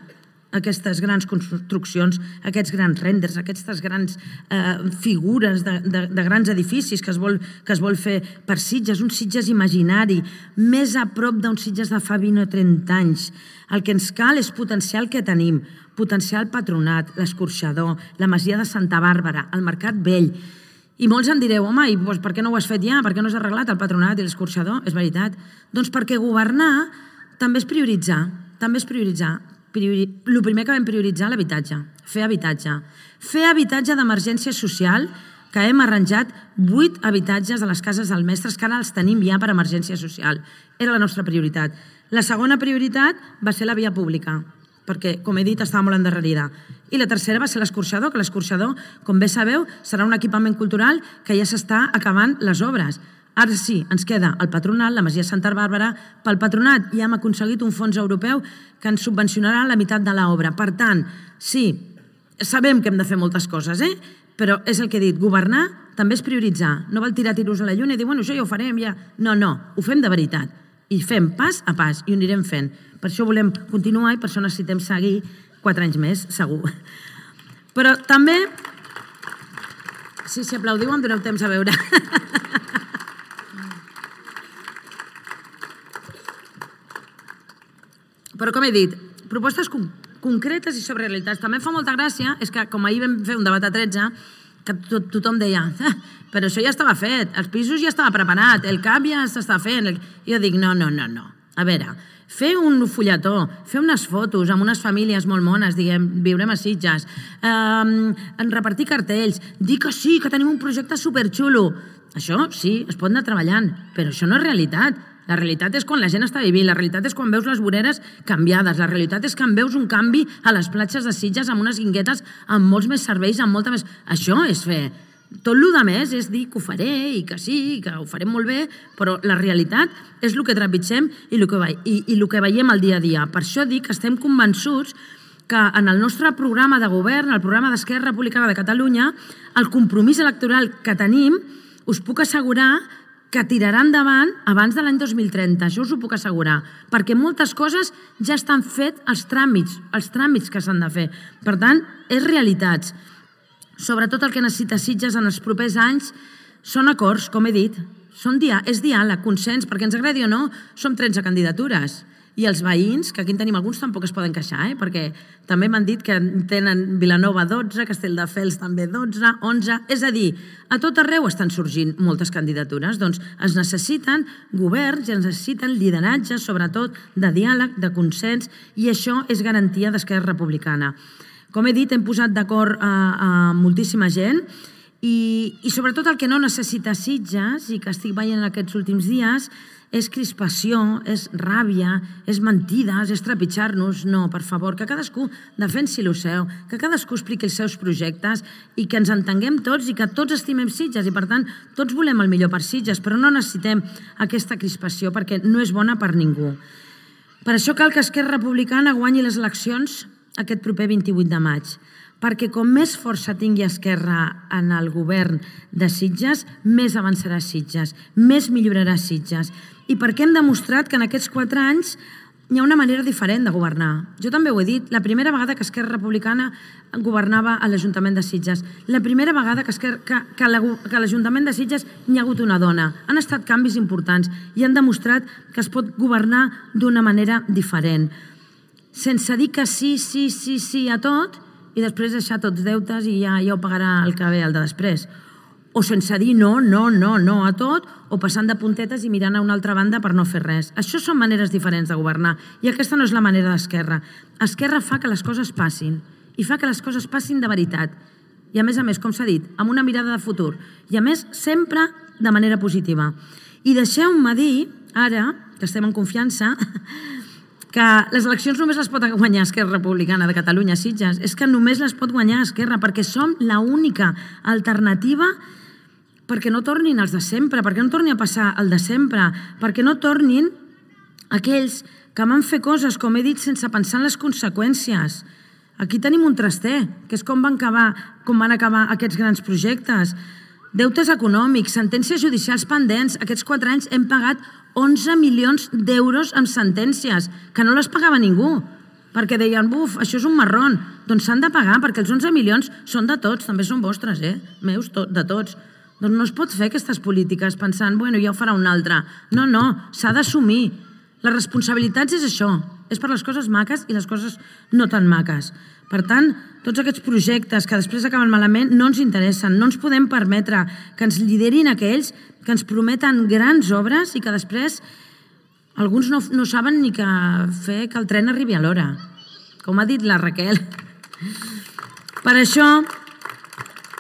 aquestes grans construccions, aquests grans renders, aquestes grans eh, figures de, de, de grans edificis que es, vol, que es vol fer per Sitges, un Sitges imaginari, més a prop d'un Sitges de fa vint o trenta anys. El que ens cal és potenciar el que tenim, potenciar el Patronat, l'Escorxador, la Masia de Santa Bàrbara, el Mercat Vell. I molts em direu, home, i doncs, per què no ho has fet ja? Per què no has arreglat el Patronat i l'Escorxador? És veritat. Doncs perquè governar també és prioritzar, també és prioritzar. Priori... El primer que vam prioritzar, l'habitatge, fer habitatge. Fer habitatge d'emergència social, que hem arranjat vuit habitatges de les cases dels mestres, que ara els tenim ja per emergència social. Era la nostra prioritat. La segona prioritat va ser la via pública, perquè, com he dit, estava molt endarrerida. I la tercera va ser l'Escorxador, que l'Escorxador, com bé sabeu, serà un equipament cultural que ja s'està acabant les obres. Ara sí, ens queda el Patronat, la Masia Santa Bàrbara. Pel Patronat ja hem aconseguit un fons europeu que ens subvencionarà la meitat de l'obra. Per tant, sí, sabem que hem de fer moltes coses, eh? Però és el que he dit, governar també és prioritzar. No val tirar tiros a la lluna i dir, bueno, això ja ho farem, ja... No, no, ho fem de veritat. I fem pas a pas, i ho anirem fent. Per això volem continuar i per això necessitem seguir quatre anys més, segur. Però també... Sí, si aplaudiu em doneu temps a veure. Però, com he dit, propostes concretes i sobre realitats. També fa molta gràcia, és que com ahir vam fer un debat a tretze, que tothom deia, però això ja estava fet, els pisos ja estava preparat, el cap ja s'està fent. Jo dic, no, no, no, no. A veure, fer un fulletó, fer unes fotos amb unes famílies molt mones, diguem, viurem a Sitges, eh, repartir cartells, dir que sí, que tenim un projecte superxulo. Això sí, es pot anar treballant, però això no és realitat. La realitat és quan la gent està vivint, la realitat és quan veus les voreres canviades, la realitat és quan veus un canvi a les platges de Sitges amb unes guinguetes amb molts més serveis, amb molta més... Això és fer. Tot el que més és dir que ho faré i que sí, que ho farem molt bé, però la realitat és el que trepitgem i el que, i, i el que veiem al dia a dia. Per això dic que estem convençuts que en el nostre programa de govern, el programa d'Esquerra Republicana de Catalunya, el compromís electoral que tenim, us puc assegurar que tirarà endavant abans de l'any dos mil trenta, això us ho puc assegurar, perquè moltes coses ja estan fet els tràmits, els tràmits que s'han de fer. Per tant, és realitats. Sobretot el que necessita Sitges en els propers anys són acords, com he dit, són dia, és diàleg, consens, perquè ens agradi o no, som tretze candidatures. I els veïns, que aquí en tenim alguns, tampoc es poden queixar, eh? Perquè també m'han dit que tenen Vilanova dotze, Castelldefels també dotze, onze... És a dir, a tot arreu estan sorgint moltes candidatures. Doncs es necessiten governs i es necessiten lideratges, sobretot de diàleg, de consens, i això és garantia d'Esquerra Republicana. Com he dit, hem posat d'acord a, a moltíssima gent i, i sobretot el que no necessita Sitges i que estic veient aquests últims dies és crispació, és ràbia, és mentides, és trepitjar-nos. No, per favor, que cadascú defensi el seu, que cadascú expliqui els seus projectes i que ens entenguem tots i que tots estimem Sitges i, per tant, tots volem el millor per Sitges, però no necessitem aquesta crispació perquè no és bona per ningú. Per això cal que Esquerra Republicana guanyi les eleccions aquest proper vint-i-vuit de maig, perquè com més força tingui Esquerra en el govern de Sitges, més avançarà Sitges, més millorarà Sitges. I perquè hem demostrat que en aquests quatre anys hi ha una manera diferent de governar. Jo també ho he dit, la primera vegada que Esquerra Republicana governava a l'Ajuntament de Sitges, la primera vegada que, Esquerra, que, que, la, que a l'Ajuntament de Sitges hi ha hagut una dona. Han estat canvis importants i han demostrat que es pot governar d'una manera diferent. Sense dir que sí, sí, sí, sí a tot i després deixar tots deutes i ja, ja ho pagarà el que ve el de després. O sense dir no, no, no, no a tot, o passant de puntetes i mirant a una altra banda per no fer res. Això són maneres diferents de governar i aquesta no és la manera d'Esquerra. Esquerra fa que les coses passin i fa que les coses passin de veritat. I a més a més, com s'ha dit, amb una mirada de futur i a més sempre de manera positiva. I deixeu-me dir, ara que estem en confiança, que les eleccions només les pot guanyar Esquerra Republicana de Catalunya a Sitges. És que només les pot guanyar Esquerra perquè som l'única alternativa perquè no tornin els de sempre, perquè no torni a passar el de sempre, perquè no tornin aquells que van fer coses, com he dit, sense pensar en les conseqüències. Aquí tenim un traster, que és com van acabar, com van acabar aquests grans projectes. Deutes econòmics, sentències judicials pendents. Aquests quatre anys hem pagat onze milions d'euros en sentències, que no les pagava ningú, perquè deien, buf, això és un marrón. Doncs s'han de pagar, perquè els onze milions són de tots, també són vostres, eh? Meus, de tots. Doncs no es pot fer aquestes polítiques pensant, bueno, ja ho farà un altre. No, no, s'ha d'assumir. Les responsabilitats és això, és per les coses maques i les coses no tan maques. Per tant, tots aquests projectes que després acaben malament no ens interessen, no ens podem permetre que ens liderin aquells que ens prometen grans obres i que després alguns no, no saben ni que fer que el tren arribi a l'hora, com ha dit la Raquel. Per això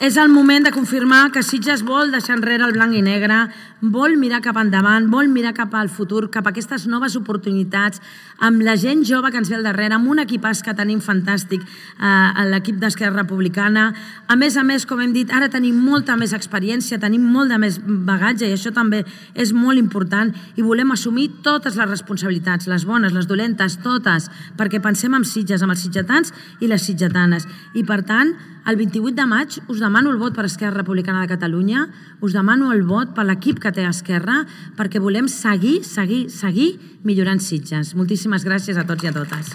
és el moment de confirmar que Sitges vol deixar enrere el blanc i negre, vol mirar cap endavant, vol mirar cap al futur, cap a aquestes noves oportunitats, amb la gent jove que ens ve al darrere, amb un equipàs que tenim fantàstic, eh, l'equip d'Esquerra Republicana. A més a més, com hem dit, ara tenim molta més experiència, tenim molt de més bagatge i això també és molt important i volem assumir totes les responsabilitats, les bones, les dolentes, totes, perquè pensem en Sitges, amb els sitgetans i les sitgetanes. I per tant, el vint-i-vuit de maig us demano el vot per Esquerra Republicana de Catalunya, us demano el vot per l'equip que té Esquerra, perquè volem seguir, seguir, seguir millorant Sitges. Moltíssimes gràcies a tots i a totes.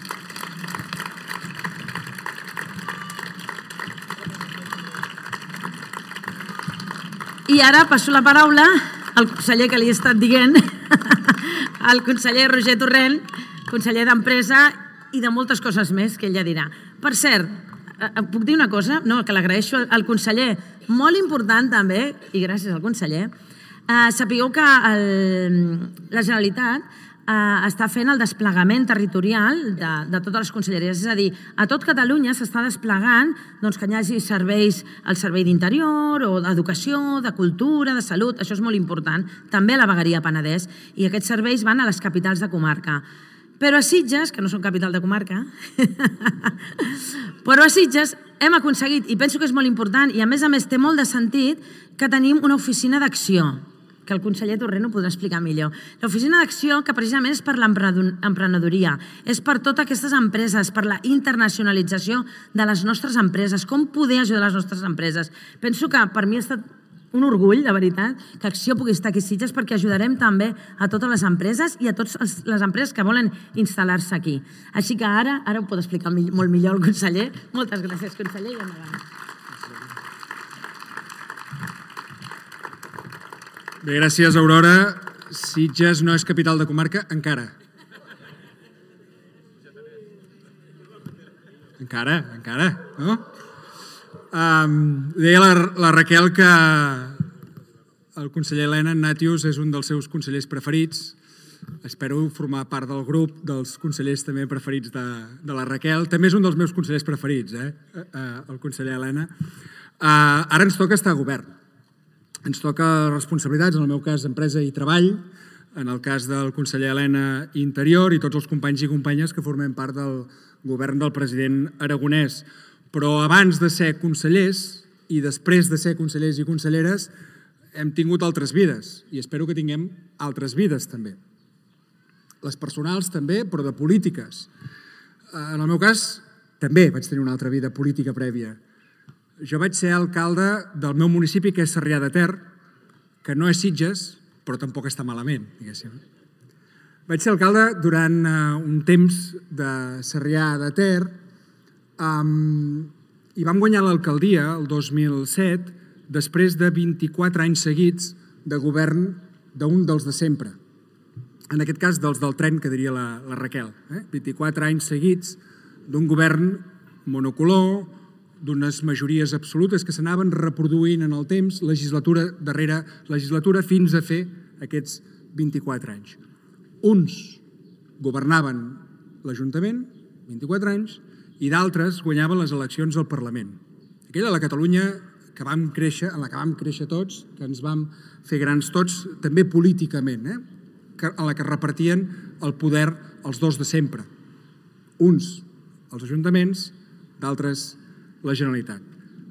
I ara passo la paraula al conseller que li he estat dient, al conseller Roger Torrent, conseller d'Empresa i de moltes coses més que ell ja dirà. Per cert, puc dir una cosa? No, que l'agraeixo al conseller. Molt important també, i gràcies al conseller, eh, sapigueu que el, la Generalitat eh, està fent el desplegament territorial de, de totes les conselleries. És a dir, a tot Catalunya s'està desplegant doncs, que hi hagi serveis, el servei d'interior, o d'educació, de cultura, de salut, això és molt important. També a la vegueria Penedès, i aquests serveis van a les capitals de comarca. Però a Sitges, que no són capital de comarca, però a Sitges hem aconseguit, i penso que és molt important, i a més a més té molt de sentit, que tenim una oficina d'acció, que el conseller Torrent ho podrà explicar millor. L'oficina d'acció, que precisament és per l'emprenedoria, és per totes aquestes empreses, per la internacionalització de les nostres empreses, com poder ajudar les nostres empreses. Penso que per mi ha estat un orgull, de veritat, que Acció pugui estar aquí a Sitges perquè ajudarem també a totes les empreses i a totes les empreses que volen instal·lar-se aquí. Així que ara ara ho pot explicar molt millor el conseller. Moltes gràcies, conseller, i endavant. Bé, gràcies, Aurora. Sitges no és capital de comarca encara. Encara, encara, no? Um, deia la, la Raquel que el conseller Elena Natius és un dels seus consellers preferits. Espero formar part del grup dels consellers també preferits de, de la Raquel. També és un dels meus consellers preferits, eh? Uh, el conseller Elena. Uh, ara ens toca estar a govern. Ens toca responsabilitats, en el meu cas, empresa i treball, en el cas del conseller Elena, Interior, i tots els companys i companyes que formem part del govern del president Aragonès. Però abans de ser consellers i després de ser consellers i conselleres hem tingut altres vides i espero que tinguem altres vides també. Les personals també, però de polítiques. En el meu cas també vaig tenir una altra vida política prèvia. Jo vaig ser alcalde del meu municipi, que és Sarrià de Ter, que no és Sitges, però tampoc està malament, diguéssim. Vaig ser alcalde durant un temps de Sarrià de Ter, Um, i vam guanyar l'alcaldia el dos mil set després de vint-i-quatre anys seguits de govern d'un dels de sempre. En aquest cas, dels del tren, que diria la, la Raquel. Eh? vint-i-quatre anys seguits d'un govern monocolor, d'unes majories absolutes que s'anaven reproduint en el temps, legislatura darrere legislatura, fins a fer aquests vint-i-quatre anys. Uns governaven l'Ajuntament, vint-i-quatre anys, i d'altres guanyaven les eleccions al Parlament. Aquella la Catalunya que vam créixer, en la que vam créixer tots, que ens vam fer grans tots, també políticament, eh? en la que repartien el poder els dos de sempre. Uns, els ajuntaments, d'altres, la Generalitat.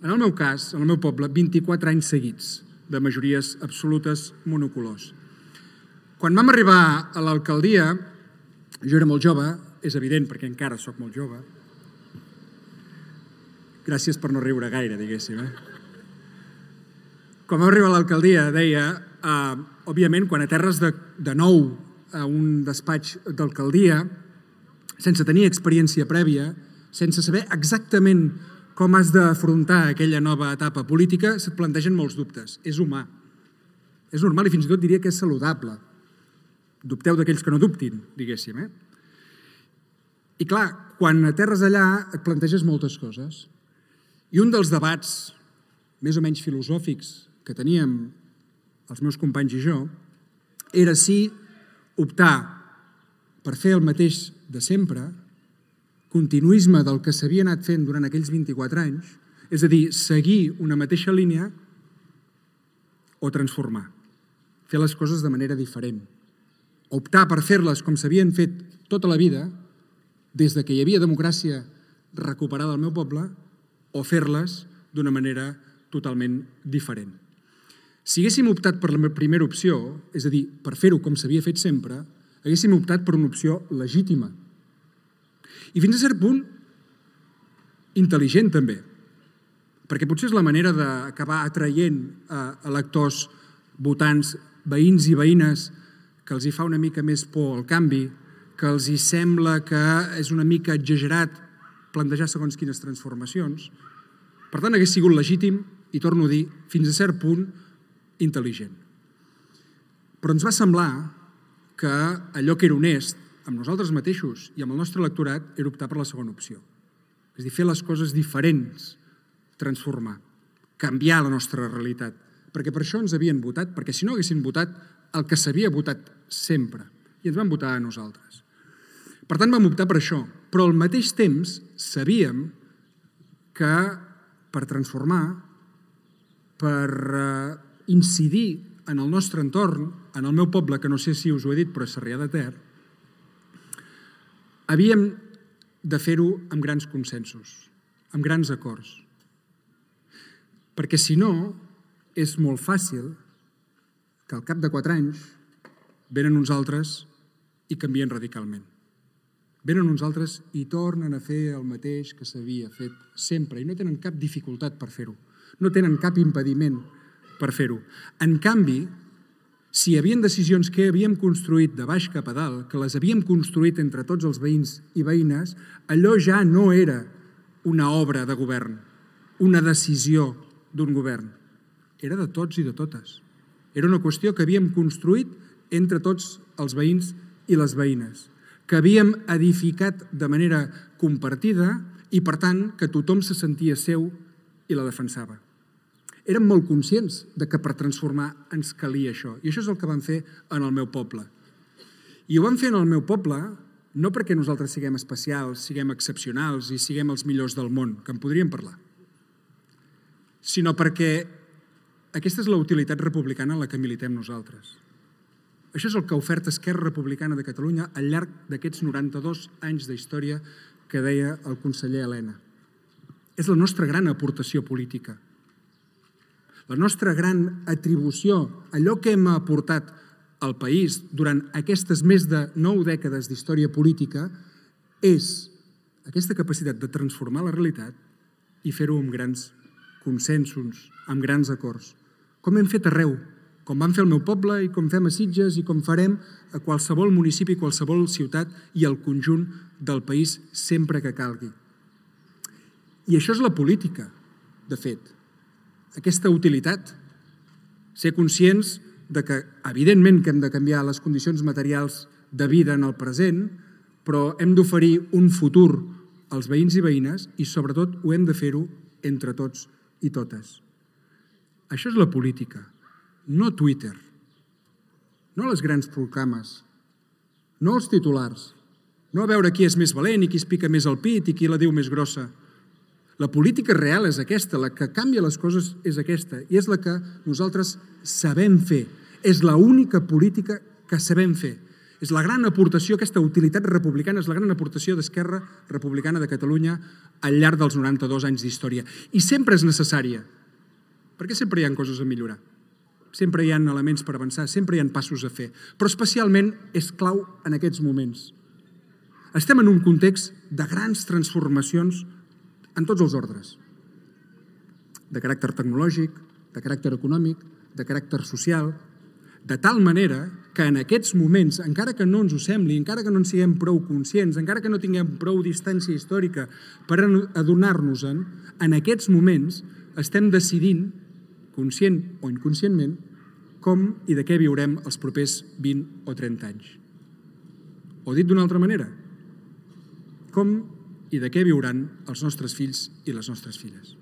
En el meu cas, en el meu poble, vint-i-quatre anys seguits de majories absolutes monocolors. Quan vam arribar a l'alcaldia, Jo era molt jove, és evident perquè encara sóc molt jove. Gràcies per no riure gaire, diguéssim. Eh? Quan vam arribar a l'alcaldia, deia, eh, òbviament, quan aterres de, de nou a un despatx d'alcaldia, sense tenir experiència prèvia, sense saber exactament com has d'afrontar aquella nova etapa política, se't plantegen molts dubtes. És humà. És normal i fins i tot diria que és saludable. Dubteu d'aquells que no dubtin, diguéssim. Eh? I clar, quan aterres allà et planteges moltes coses. I un dels debats més o menys filosòfics que teníem els meus companys i jo era si optar per fer el mateix de sempre, continuisme del que s'havia anat fent durant aquells vint-i-quatre anys, és a dir, seguir una mateixa línia o transformar, fer les coses de manera diferent. Optar per fer-les com s'havien fet tota la vida, des de que hi havia democràcia recuperada al meu poble, o fer-les d'una manera totalment diferent. Si haguéssim optat per la primera opció, és a dir, per fer-ho com s'havia fet sempre, haguéssim optat per una opció legítima. I fins a cert punt, intel·ligent també, perquè potser és la manera d'acabar atraient a electors, votants, veïns i veïnes que els hi fa una mica més por al canvi, que els hi sembla que és una mica exagerat plantejar segons quines transformacions. Per tant, hagués sigut legítim, i torno a dir, fins a cert punt, intel·ligent. Però ens va semblar que allò que era honest, amb nosaltres mateixos i amb el nostre electorat, era optar per la segona opció. És a dir, fer les coses diferents, transformar, canviar la nostra realitat. Perquè per això ens havien votat, perquè si no haguessin votat el que s'havia votat sempre, i ens van votar a nosaltres. Per tant, vam optar per això, però al mateix temps sabíem que per transformar, per incidir en el nostre entorn, en el meu poble, que no sé si us ho he dit, però és Sarrià de Ter, havíem de fer-ho amb grans consensos, amb grans acords. Perquè si no, és molt fàcil que al cap de quatre anys venen uns altres i canvien radicalment. Venen uns altres i tornen a fer el mateix que s'havia fet sempre i no tenen cap dificultat per fer-ho, no tenen cap impediment per fer-ho. En canvi, si hi havia decisions que havíem construït de baix cap a dalt, que les havíem construït entre tots els veïns i veïnes, allò ja no era una obra de govern, una decisió d'un govern. Era de tots i de totes. Era una qüestió que havíem construït entre tots els veïns i les veïnes, que havíem edificat de manera compartida i, per tant, que tothom se sentia seu i la defensava. Érem molt conscients de que per transformar ens calia això. I això és el que vam fer en el meu poble. I ho vam fer en el meu poble no perquè nosaltres siguem especials, siguem excepcionals i siguem els millors del món, que en podríem parlar, sinó perquè aquesta és la utilitat republicana en la que militem nosaltres. Això és el que ha ofert Esquerra Republicana de Catalunya al llarg d'aquests noranta-dos anys d'història que deia el conseller Elena. És la nostra gran aportació política. La nostra gran atribució, allò que hem aportat al país durant aquestes més de nou dècades d'història política, és aquesta capacitat de transformar la realitat i fer-ho amb grans consensos, amb grans acords. Com hem fet arreu, com vam fer al meu poble i com fem a Sitges i com farem a qualsevol municipi, qualsevol ciutat i al conjunt del país sempre que calgui. I això és la política, de fet. Aquesta utilitat, ser conscients de que, evidentment, que hem de canviar les condicions materials de vida en el present, però hem d'oferir un futur als veïns i veïnes i, sobretot, ho hem de fer-ho entre tots i totes. Això és la política, no Twitter, no les grans proclames, no els titulars, no a veure qui és més valent i qui es pica més el pit i qui la diu més grossa. La política real és aquesta, la que canvia les coses és aquesta, i és la que nosaltres sabem fer. És l'única política que sabem fer. És la gran aportació, aquesta utilitat republicana, és la gran aportació d'Esquerra Republicana de Catalunya al llarg dels noranta-dos anys d'història. I sempre és necessària, perquè sempre hi ha coses a millorar. Sempre hi ha elements per avançar, sempre hi ha passos a fer. Però especialment és clau en aquests moments. Estem en un context de grans transformacions en tots els ordres, de caràcter tecnològic, de caràcter econòmic, de caràcter social, de tal manera que en aquests moments, encara que no ens ho sembli, encara que no en siguem prou conscients, encara que no tinguem prou distància històrica per adonar-nos-en, en aquests moments estem decidint, conscient o inconscientment, com i de què viurem els propers vint o trenta anys. O dit d'una altra manera, com i de què viuran els nostres fills i les nostres filles.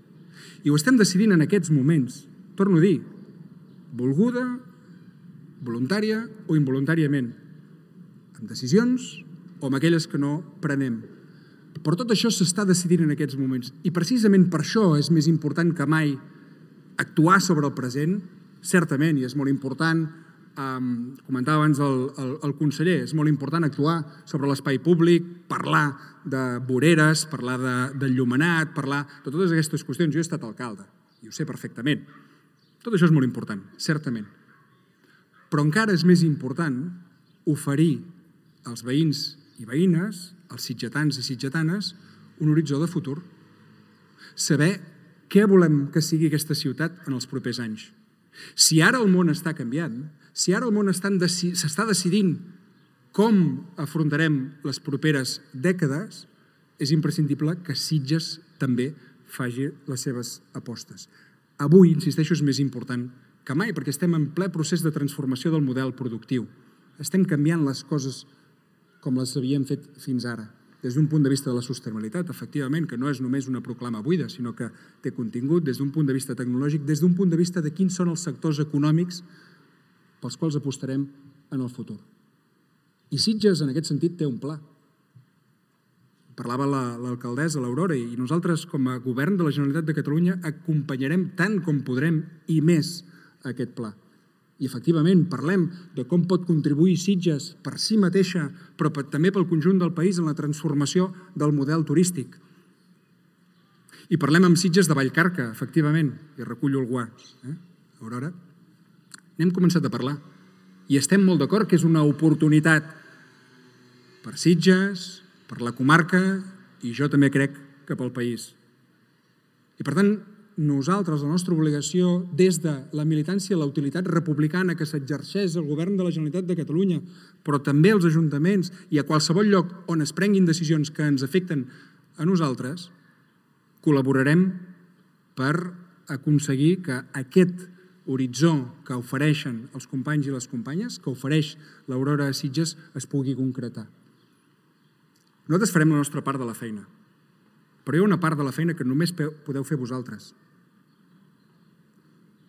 I ho estem decidint en aquests moments, torno a dir, volguda, voluntària o involuntàriament, amb decisions o amb aquelles que no prenem. Però tot això s'està decidint en aquests moments. I precisament per això és més important que mai actuar sobre el present, certament, i és molt important, um, comentava abans el, el, el conseller, és molt important actuar sobre l'espai públic, parlar de voreres, parlar de, del llumenat, parlar de totes aquestes qüestions. Jo he estat alcalde i ho sé perfectament. Tot això és molt important, certament. Però encara és més important oferir als veïns i veïnes, als sitgetans i sitgetanes, un horitzó de futur. Saber què volem que sigui aquesta ciutat en els propers anys. Si ara el món està canviant, si ara el món s'està decidint com afrontarem les properes dècades, és imprescindible que Sitges també faci les seves apostes. Avui, insisteixo, és més important que mai, perquè estem en ple procés de transformació del model productiu. Estem canviant les coses com les havíem fet fins ara. Des d'un punt de vista de la sostenibilitat, efectivament, que no és només una proclama buida, sinó que té contingut, des d'un punt de vista tecnològic, des d'un punt de vista de quins són els sectors econòmics pels quals apostarem en el futur. I Sitges, en aquest sentit, té un pla. Parlava l'alcaldessa, l'Aurora, i nosaltres, com a govern de la Generalitat de Catalunya, acompanyarem tant com podrem i més aquest pla. I, efectivament, parlem de com pot contribuir Sitges per si mateixa, però també pel conjunt del país en la transformació del model turístic. I parlem amb Sitges de Vallcarca, efectivament, i recullo el guà. Eh? Aurora? N'hem començat a parlar. I estem molt d'acord que és una oportunitat per Sitges, per la comarca, i jo també crec que pel país. I, per tant, nosaltres, la nostra obligació, des de la militància i la utilitat republicana que s'exerceix al govern de la Generalitat de Catalunya, però també als ajuntaments i a qualsevol lloc on es prenguin decisions que ens afecten a nosaltres, col·laborarem per aconseguir que aquest horitzó que ofereixen els companys i les companyes, que ofereix l'Aurora a Sitges, es pugui concretar. Nosaltres farem la nostra part de la feina, però hi ha una part de la feina que només podeu fer vosaltres.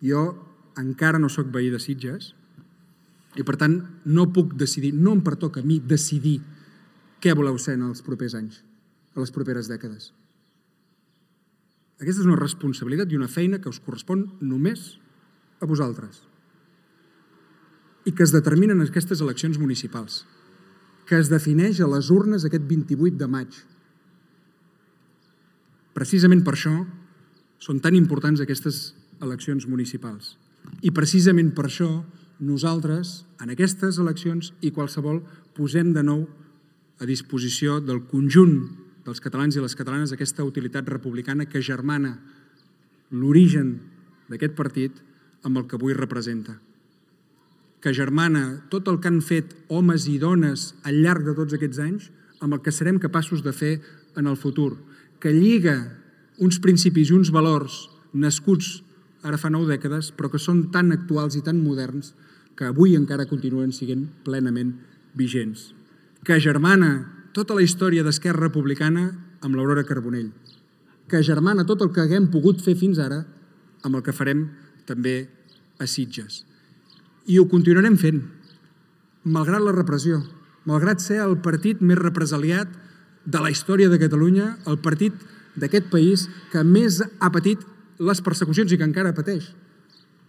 Jo encara no sóc veí de Sitges i, per tant, no puc decidir, no em pertoca a mi decidir què voleu ser en els propers anys, a les properes dècades. Aquesta és una responsabilitat i una feina que us correspon només a vosaltres i que es determinen en aquestes eleccions municipals, que es defineix a les urnes aquest vint-i-vuit de maig. Precisament per això són tan importants aquestes eleccions municipals. I precisament per això nosaltres, en aquestes eleccions i qualsevol, posem de nou a disposició del conjunt dels catalans i les catalanes aquesta utilitat republicana que germana l'origen d'aquest partit amb el que avui representa. Que germana tot el que han fet homes i dones al llarg de tots aquests anys amb el que serem capaços de fer en el futur. Que lliga uns principis i uns valors nascuts ara fa nou dècades, però que són tan actuals i tan moderns que avui encara continuen sent plenament vigents. Que germana tota la història d'Esquerra Republicana amb l'Aurora Carbonell. Que germana tot el que haguem pogut fer fins ara amb el que farem també a Sitges. I ho continuarem fent, malgrat la repressió, malgrat ser el partit més represaliat de la història de Catalunya, el partit d'aquest país que més ha patit les persecucions i que encara pateix.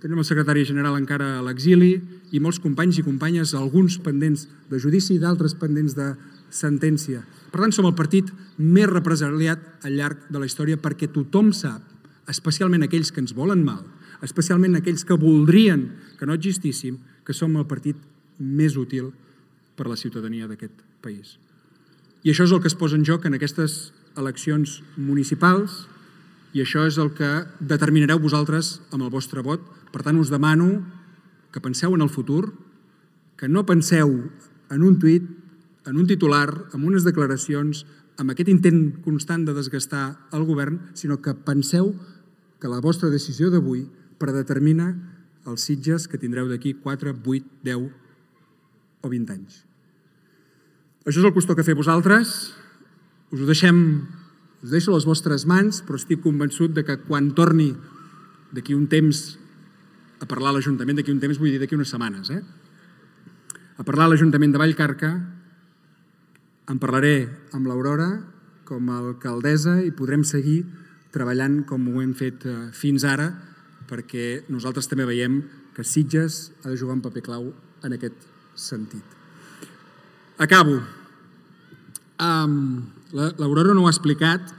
Tenim el secretari general encara a l'exili i molts companys i companyes, alguns pendents de judici i d'altres pendents de sentència. Per tant, som el partit més represaliat al llarg de la història perquè tothom sap, especialment aquells que ens volen mal, especialment aquells que voldrien que no existíssim, que som el partit més útil per a la ciutadania d'aquest país. I això és el que es posa en joc en aquestes eleccions municipals i això és el que determinareu vosaltres amb el vostre vot. Per tant, us demano que penseu en el futur, que no penseu en un tuit, en un titular, en unes declaracions, amb aquest intent constant de desgastar el govern, sinó que penseu que la vostra decisió d'avui predetermina els Sitges que tindreu d'aquí quatre, vuit, deu o vint anys. Això és el que us toca fer vosaltres. Us ho deixem, us deixo a les vostres mans, però estic convençut de que quan torni d'aquí un temps a parlar a l'Ajuntament, d'aquí un temps vull dir d'aquí unes setmanes, eh? a parlar a l'Ajuntament de Vallcarca, en parlaré amb l'Aurora com a alcaldessa i podrem seguir treballant com ho hem fet fins ara, perquè nosaltres també veiem que Sitges ha de jugar un paper clau en aquest sentit. Acabo. Um, L'Aurora no ho ha explicat,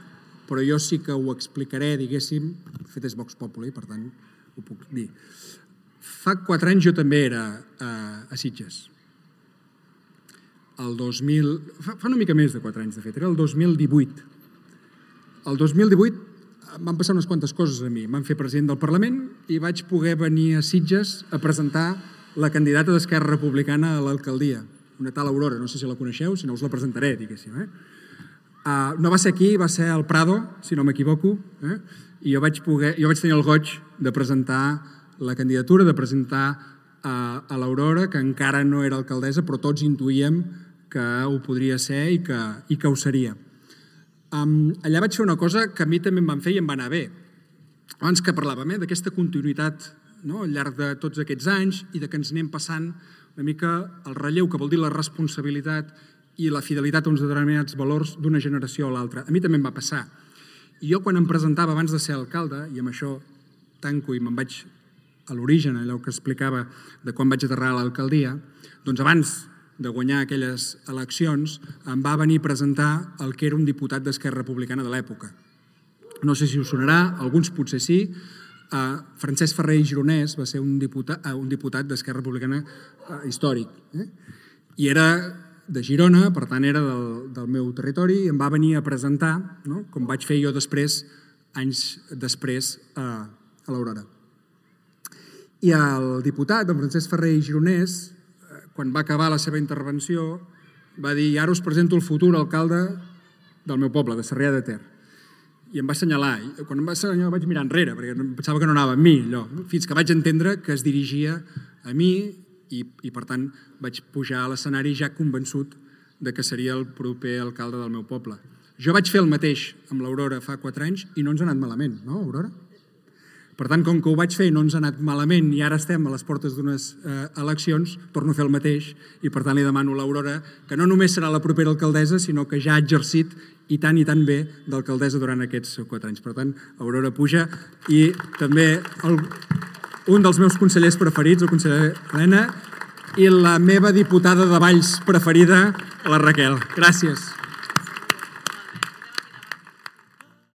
però jo sí que ho explicaré, diguéssim, de fet és Vox Populi, per tant ho puc dir. Fa quatre anys jo també era a, a Sitges. El dos mil... Fa, fa una mica més de quatre anys, de fet, era el dos mil divuit. El dos mil divuit van passar unes quantes coses a mi. Em van fer president del Parlament i vaig poder venir a Sitges a presentar la candidata d'Esquerra Republicana a l'alcaldia, una tal Aurora, no sé si la coneixeu, si no us la presentaré, diguéssim. Eh? Uh, no va ser aquí, va ser al Prado, si no m'equivoco, eh? i jo vaig, poder, jo vaig tenir el goig de presentar la candidatura, de presentar uh, a l'Aurora, que encara no era alcaldessa, però tots intuïem que ho podria ser i que, i que ho seria. Um, allà vaig fer una cosa que a mi també em van fer i em va anar bé. Abans que parlàvem eh, d'aquesta continuïtat no, al llarg de tots aquests anys i de que ens anem passant una mica el relleu, que vol dir la responsabilitat i la fidelitat a uns determinats valors d'una generació a l'altra. A mi també em va passar. I jo quan em presentava abans de ser alcalde, i amb això tanco i me'n vaig a l'origen, allò que explicava de quan vaig aterrar a l'alcaldia, doncs abans de guanyar aquelles eleccions, em va venir a presentar el que era un diputat d'Esquerra Republicana de l'època. No sé si us sonarà, alguns potser sí. Uh, Francesc Ferrer i Gironès va ser un diputat, uh, un diputat d'Esquerra Republicana uh, històric. Eh? I era de Girona, per tant era del, del meu territori, i em va venir a presentar, no? com vaig fer jo després, anys després, uh, a l'Aurora. I el diputat, en Francesc Ferrer i Gironès, quan va acabar la seva intervenció, va dir: ara us presento el futur alcalde del meu poble, de Sarrià de Ter. I em va assenyalar. I quan em va assenyalar vaig mirar enrere, perquè pensava que no anava amb mi, allò. Fins que vaig entendre que es dirigia a mi i, i per tant, vaig pujar a l'escenari ja convençut de que seria el proper alcalde del meu poble. Jo vaig fer el mateix amb l'Aurora fa quatre anys i no ens ha anat malament, no, Aurora? Per tant, com que ho vaig fer i no ens ha anat malament i ara estem a les portes d'unes eh, eleccions, torno a fer el mateix i per tant li demano a l'Aurora que no només serà la propera alcaldessa, sinó que ja ha exercit i tant i tant bé d'alcaldessa durant aquests quatre anys. Per tant, Aurora puja i també el, un dels meus consellers preferits, el conseller Elena, i la meva diputada de Valls preferida, la Raquel. Gràcies.